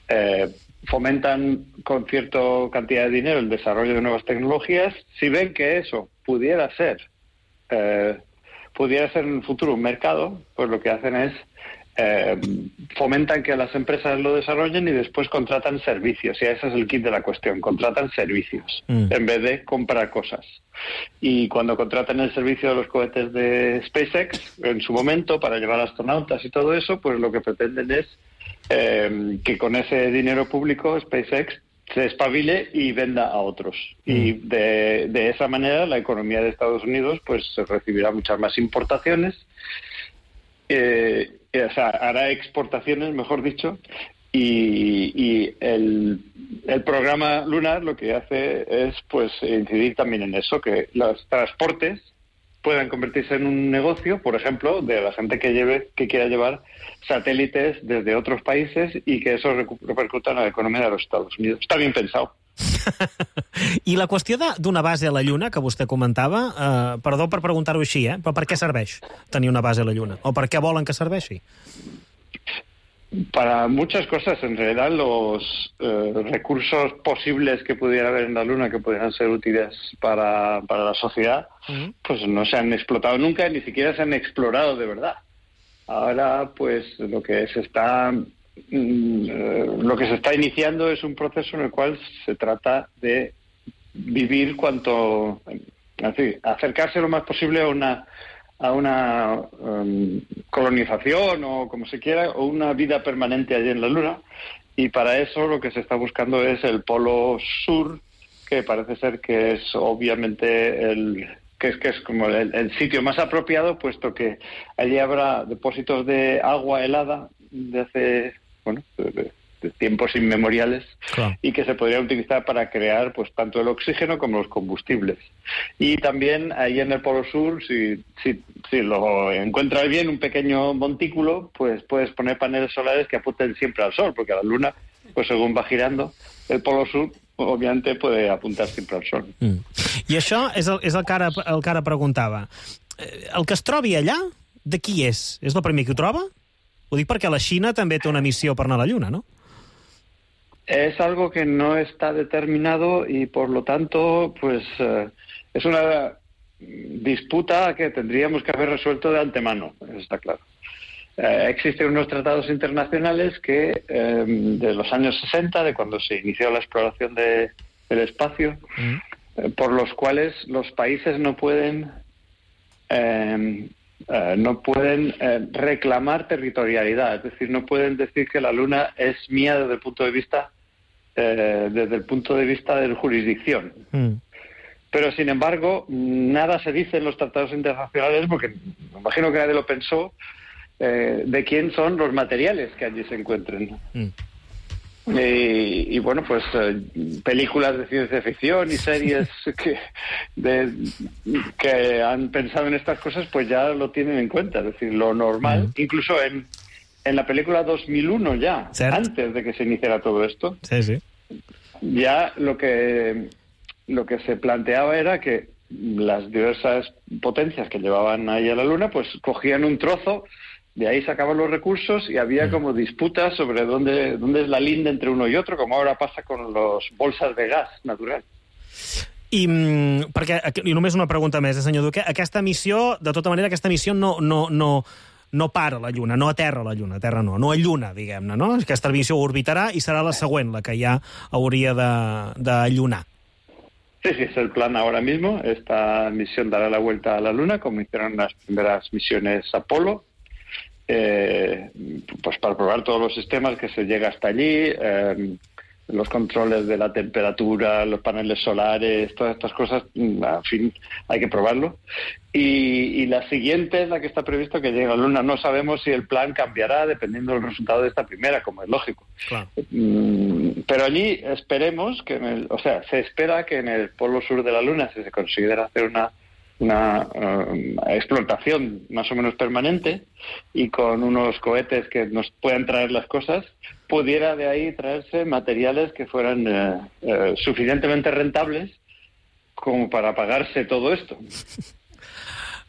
eh, fomentan con cierta cantidad de dinero el desarrollo de nuevas tecnologías. Si ven que eso pudiera ser eh, pudiera ser en el futuro un mercado, pues lo que hacen es eh, fomentan que las empresas lo desarrollen y después contratan servicios. Y ese es el kit de la cuestión, contratan servicios mm. en vez de comprar cosas. Y cuando contratan el servicio de los cohetes de SpaceX, en su momento, para llevar astronautas y todo eso, pues lo que pretenden es eh, que con ese dinero público SpaceX se espabile y venda a otros. Mm. Y de, de esa manera la economía de Estados Unidos pues recibirá muchas más importaciones, eh, o sea, hará exportaciones, mejor dicho, y, y el, el programa lunar lo que hace es pues incidir también en eso, que los transportes puedan convertirse en un negocio, por ejemplo, de la gente que lleve, que quiera llevar satélites desde otros países y que eso repercuta en la economia de los Estados Unidos. Està ben pensat. I la qüestió d'una base a la Lluna, que vostè comentava, eh, perdó per preguntar-ho així, eh, però per què serveix tenir una base a la Lluna? O per què volen que serveixi? Para muchas cosas, en realidad, los eh, recursos posibles que pudiera haber en la Luna, que pudieran ser útiles para, para la sociedad, uh-huh. pues no se han explotado nunca, ni siquiera se han explorado de verdad. Ahora, pues lo que se está mm, lo que se está iniciando es un proceso en el cual se trata de vivir cuanto, en fin, acercarse lo más posible a una a una um, colonización o como se quiera, o una vida permanente allí en la Luna, y para eso lo que se está buscando es el polo sur, que parece ser que es obviamente el que es que es como el, el sitio más apropiado, puesto que allí habrá depósitos de agua helada de hace, bueno, de, de tiempos inmemoriales, claro. Y que se podría utilizar para crear pues tanto el oxígeno como los combustibles. Y también ahí en el Polo Sur, si, si, si lo encuentras bien, un pequeño montículo, pues puedes poner paneles solares que apunten siempre al sol, porque la Luna, pues según va girando, el Polo Sur òbviament puede apuntar sempre al sol. Mm. I això és, el, és el, que ara, el que ara preguntava. El que es trobi allà, de qui és? És el primer que ho troba? Ho dic perquè la Xina també té una missió per anar a la Lluna, no? Es algo que no está determinado y por lo tanto pues eh, es una disputa que tendríamos que haber resuelto de antemano, está claro. Eh, existen unos tratados internacionales que eh, de los años sesenta, de cuando se inició la exploración de, del espacio, mm. eh, por los cuales los países no pueden eh, eh, no pueden eh, reclamar territorialidad, es decir, no pueden decir que la Luna es mía desde el punto de vista eh, desde el punto de vista de jurisdicción. Mm. Pero, sin embargo, nada se dice en los tratados internacionales, porque me imagino que nadie lo pensó, eh, de quién son los materiales que allí se encuentren. Mm. Y, y bueno, pues eh, películas de ciencia ficción y series que, de, que han pensado en estas cosas, pues ya lo tienen en cuenta. Es decir, lo normal, mm. incluso en, en la película dos mil uno ya, ¿cierto? Antes de que se iniciara todo esto, sí, sí. ya lo que, lo que se planteaba era que las diversas potencias que llevaban ahí a la Luna, pues cogían un trozo, de ahí sacaban los recursos y había como disputas sobre dónde, dónde es la linda entre uno y otro, como ahora passa con los bolsas de gas natural. I, perquè, i només una pregunta més, eh, senyor Duque. Aquesta missió, de tota manera, aquesta missió no, no, no, no para a la Lluna, no aterra a la Lluna, terra no, no alluna, diguem-ne, no? Aquesta missió orbitarà i serà la següent, la que ja hauria de, de llunar. Sí, sí, es el plan ahora mismo. Esta misión dará la vuelta a la Luna, como hicieron las primeras misiones Apolo, Eh, pues para probar todos los sistemas que se llega hasta allí, eh, los controles de la temperatura, los paneles solares, todas estas cosas, en fin, hay que probarlo. Y, y la siguiente es la que está previsto que llegue a la Luna. No sabemos si el plan cambiará dependiendo del resultado de esta primera, como es lógico. Claro. Mm, pero allí esperemos que, en el, o sea, se espera que en el polo sur de la Luna, si se considera hacer una una uh, explotación más o menos permanente y con unos cohetes que nos puedan traer las cosas, pudiera de ahí traerse materiales que fueran uh, uh, suficientemente rentables como para pagarse todo esto.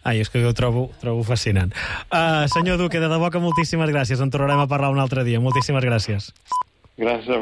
Ai, és que ho trobo, trobo fascinant. Uh, senyor Duque, de debò que moltíssimes gràcies. En tornarem a parlar un altre dia. Moltíssimes gràcies. Gràcies a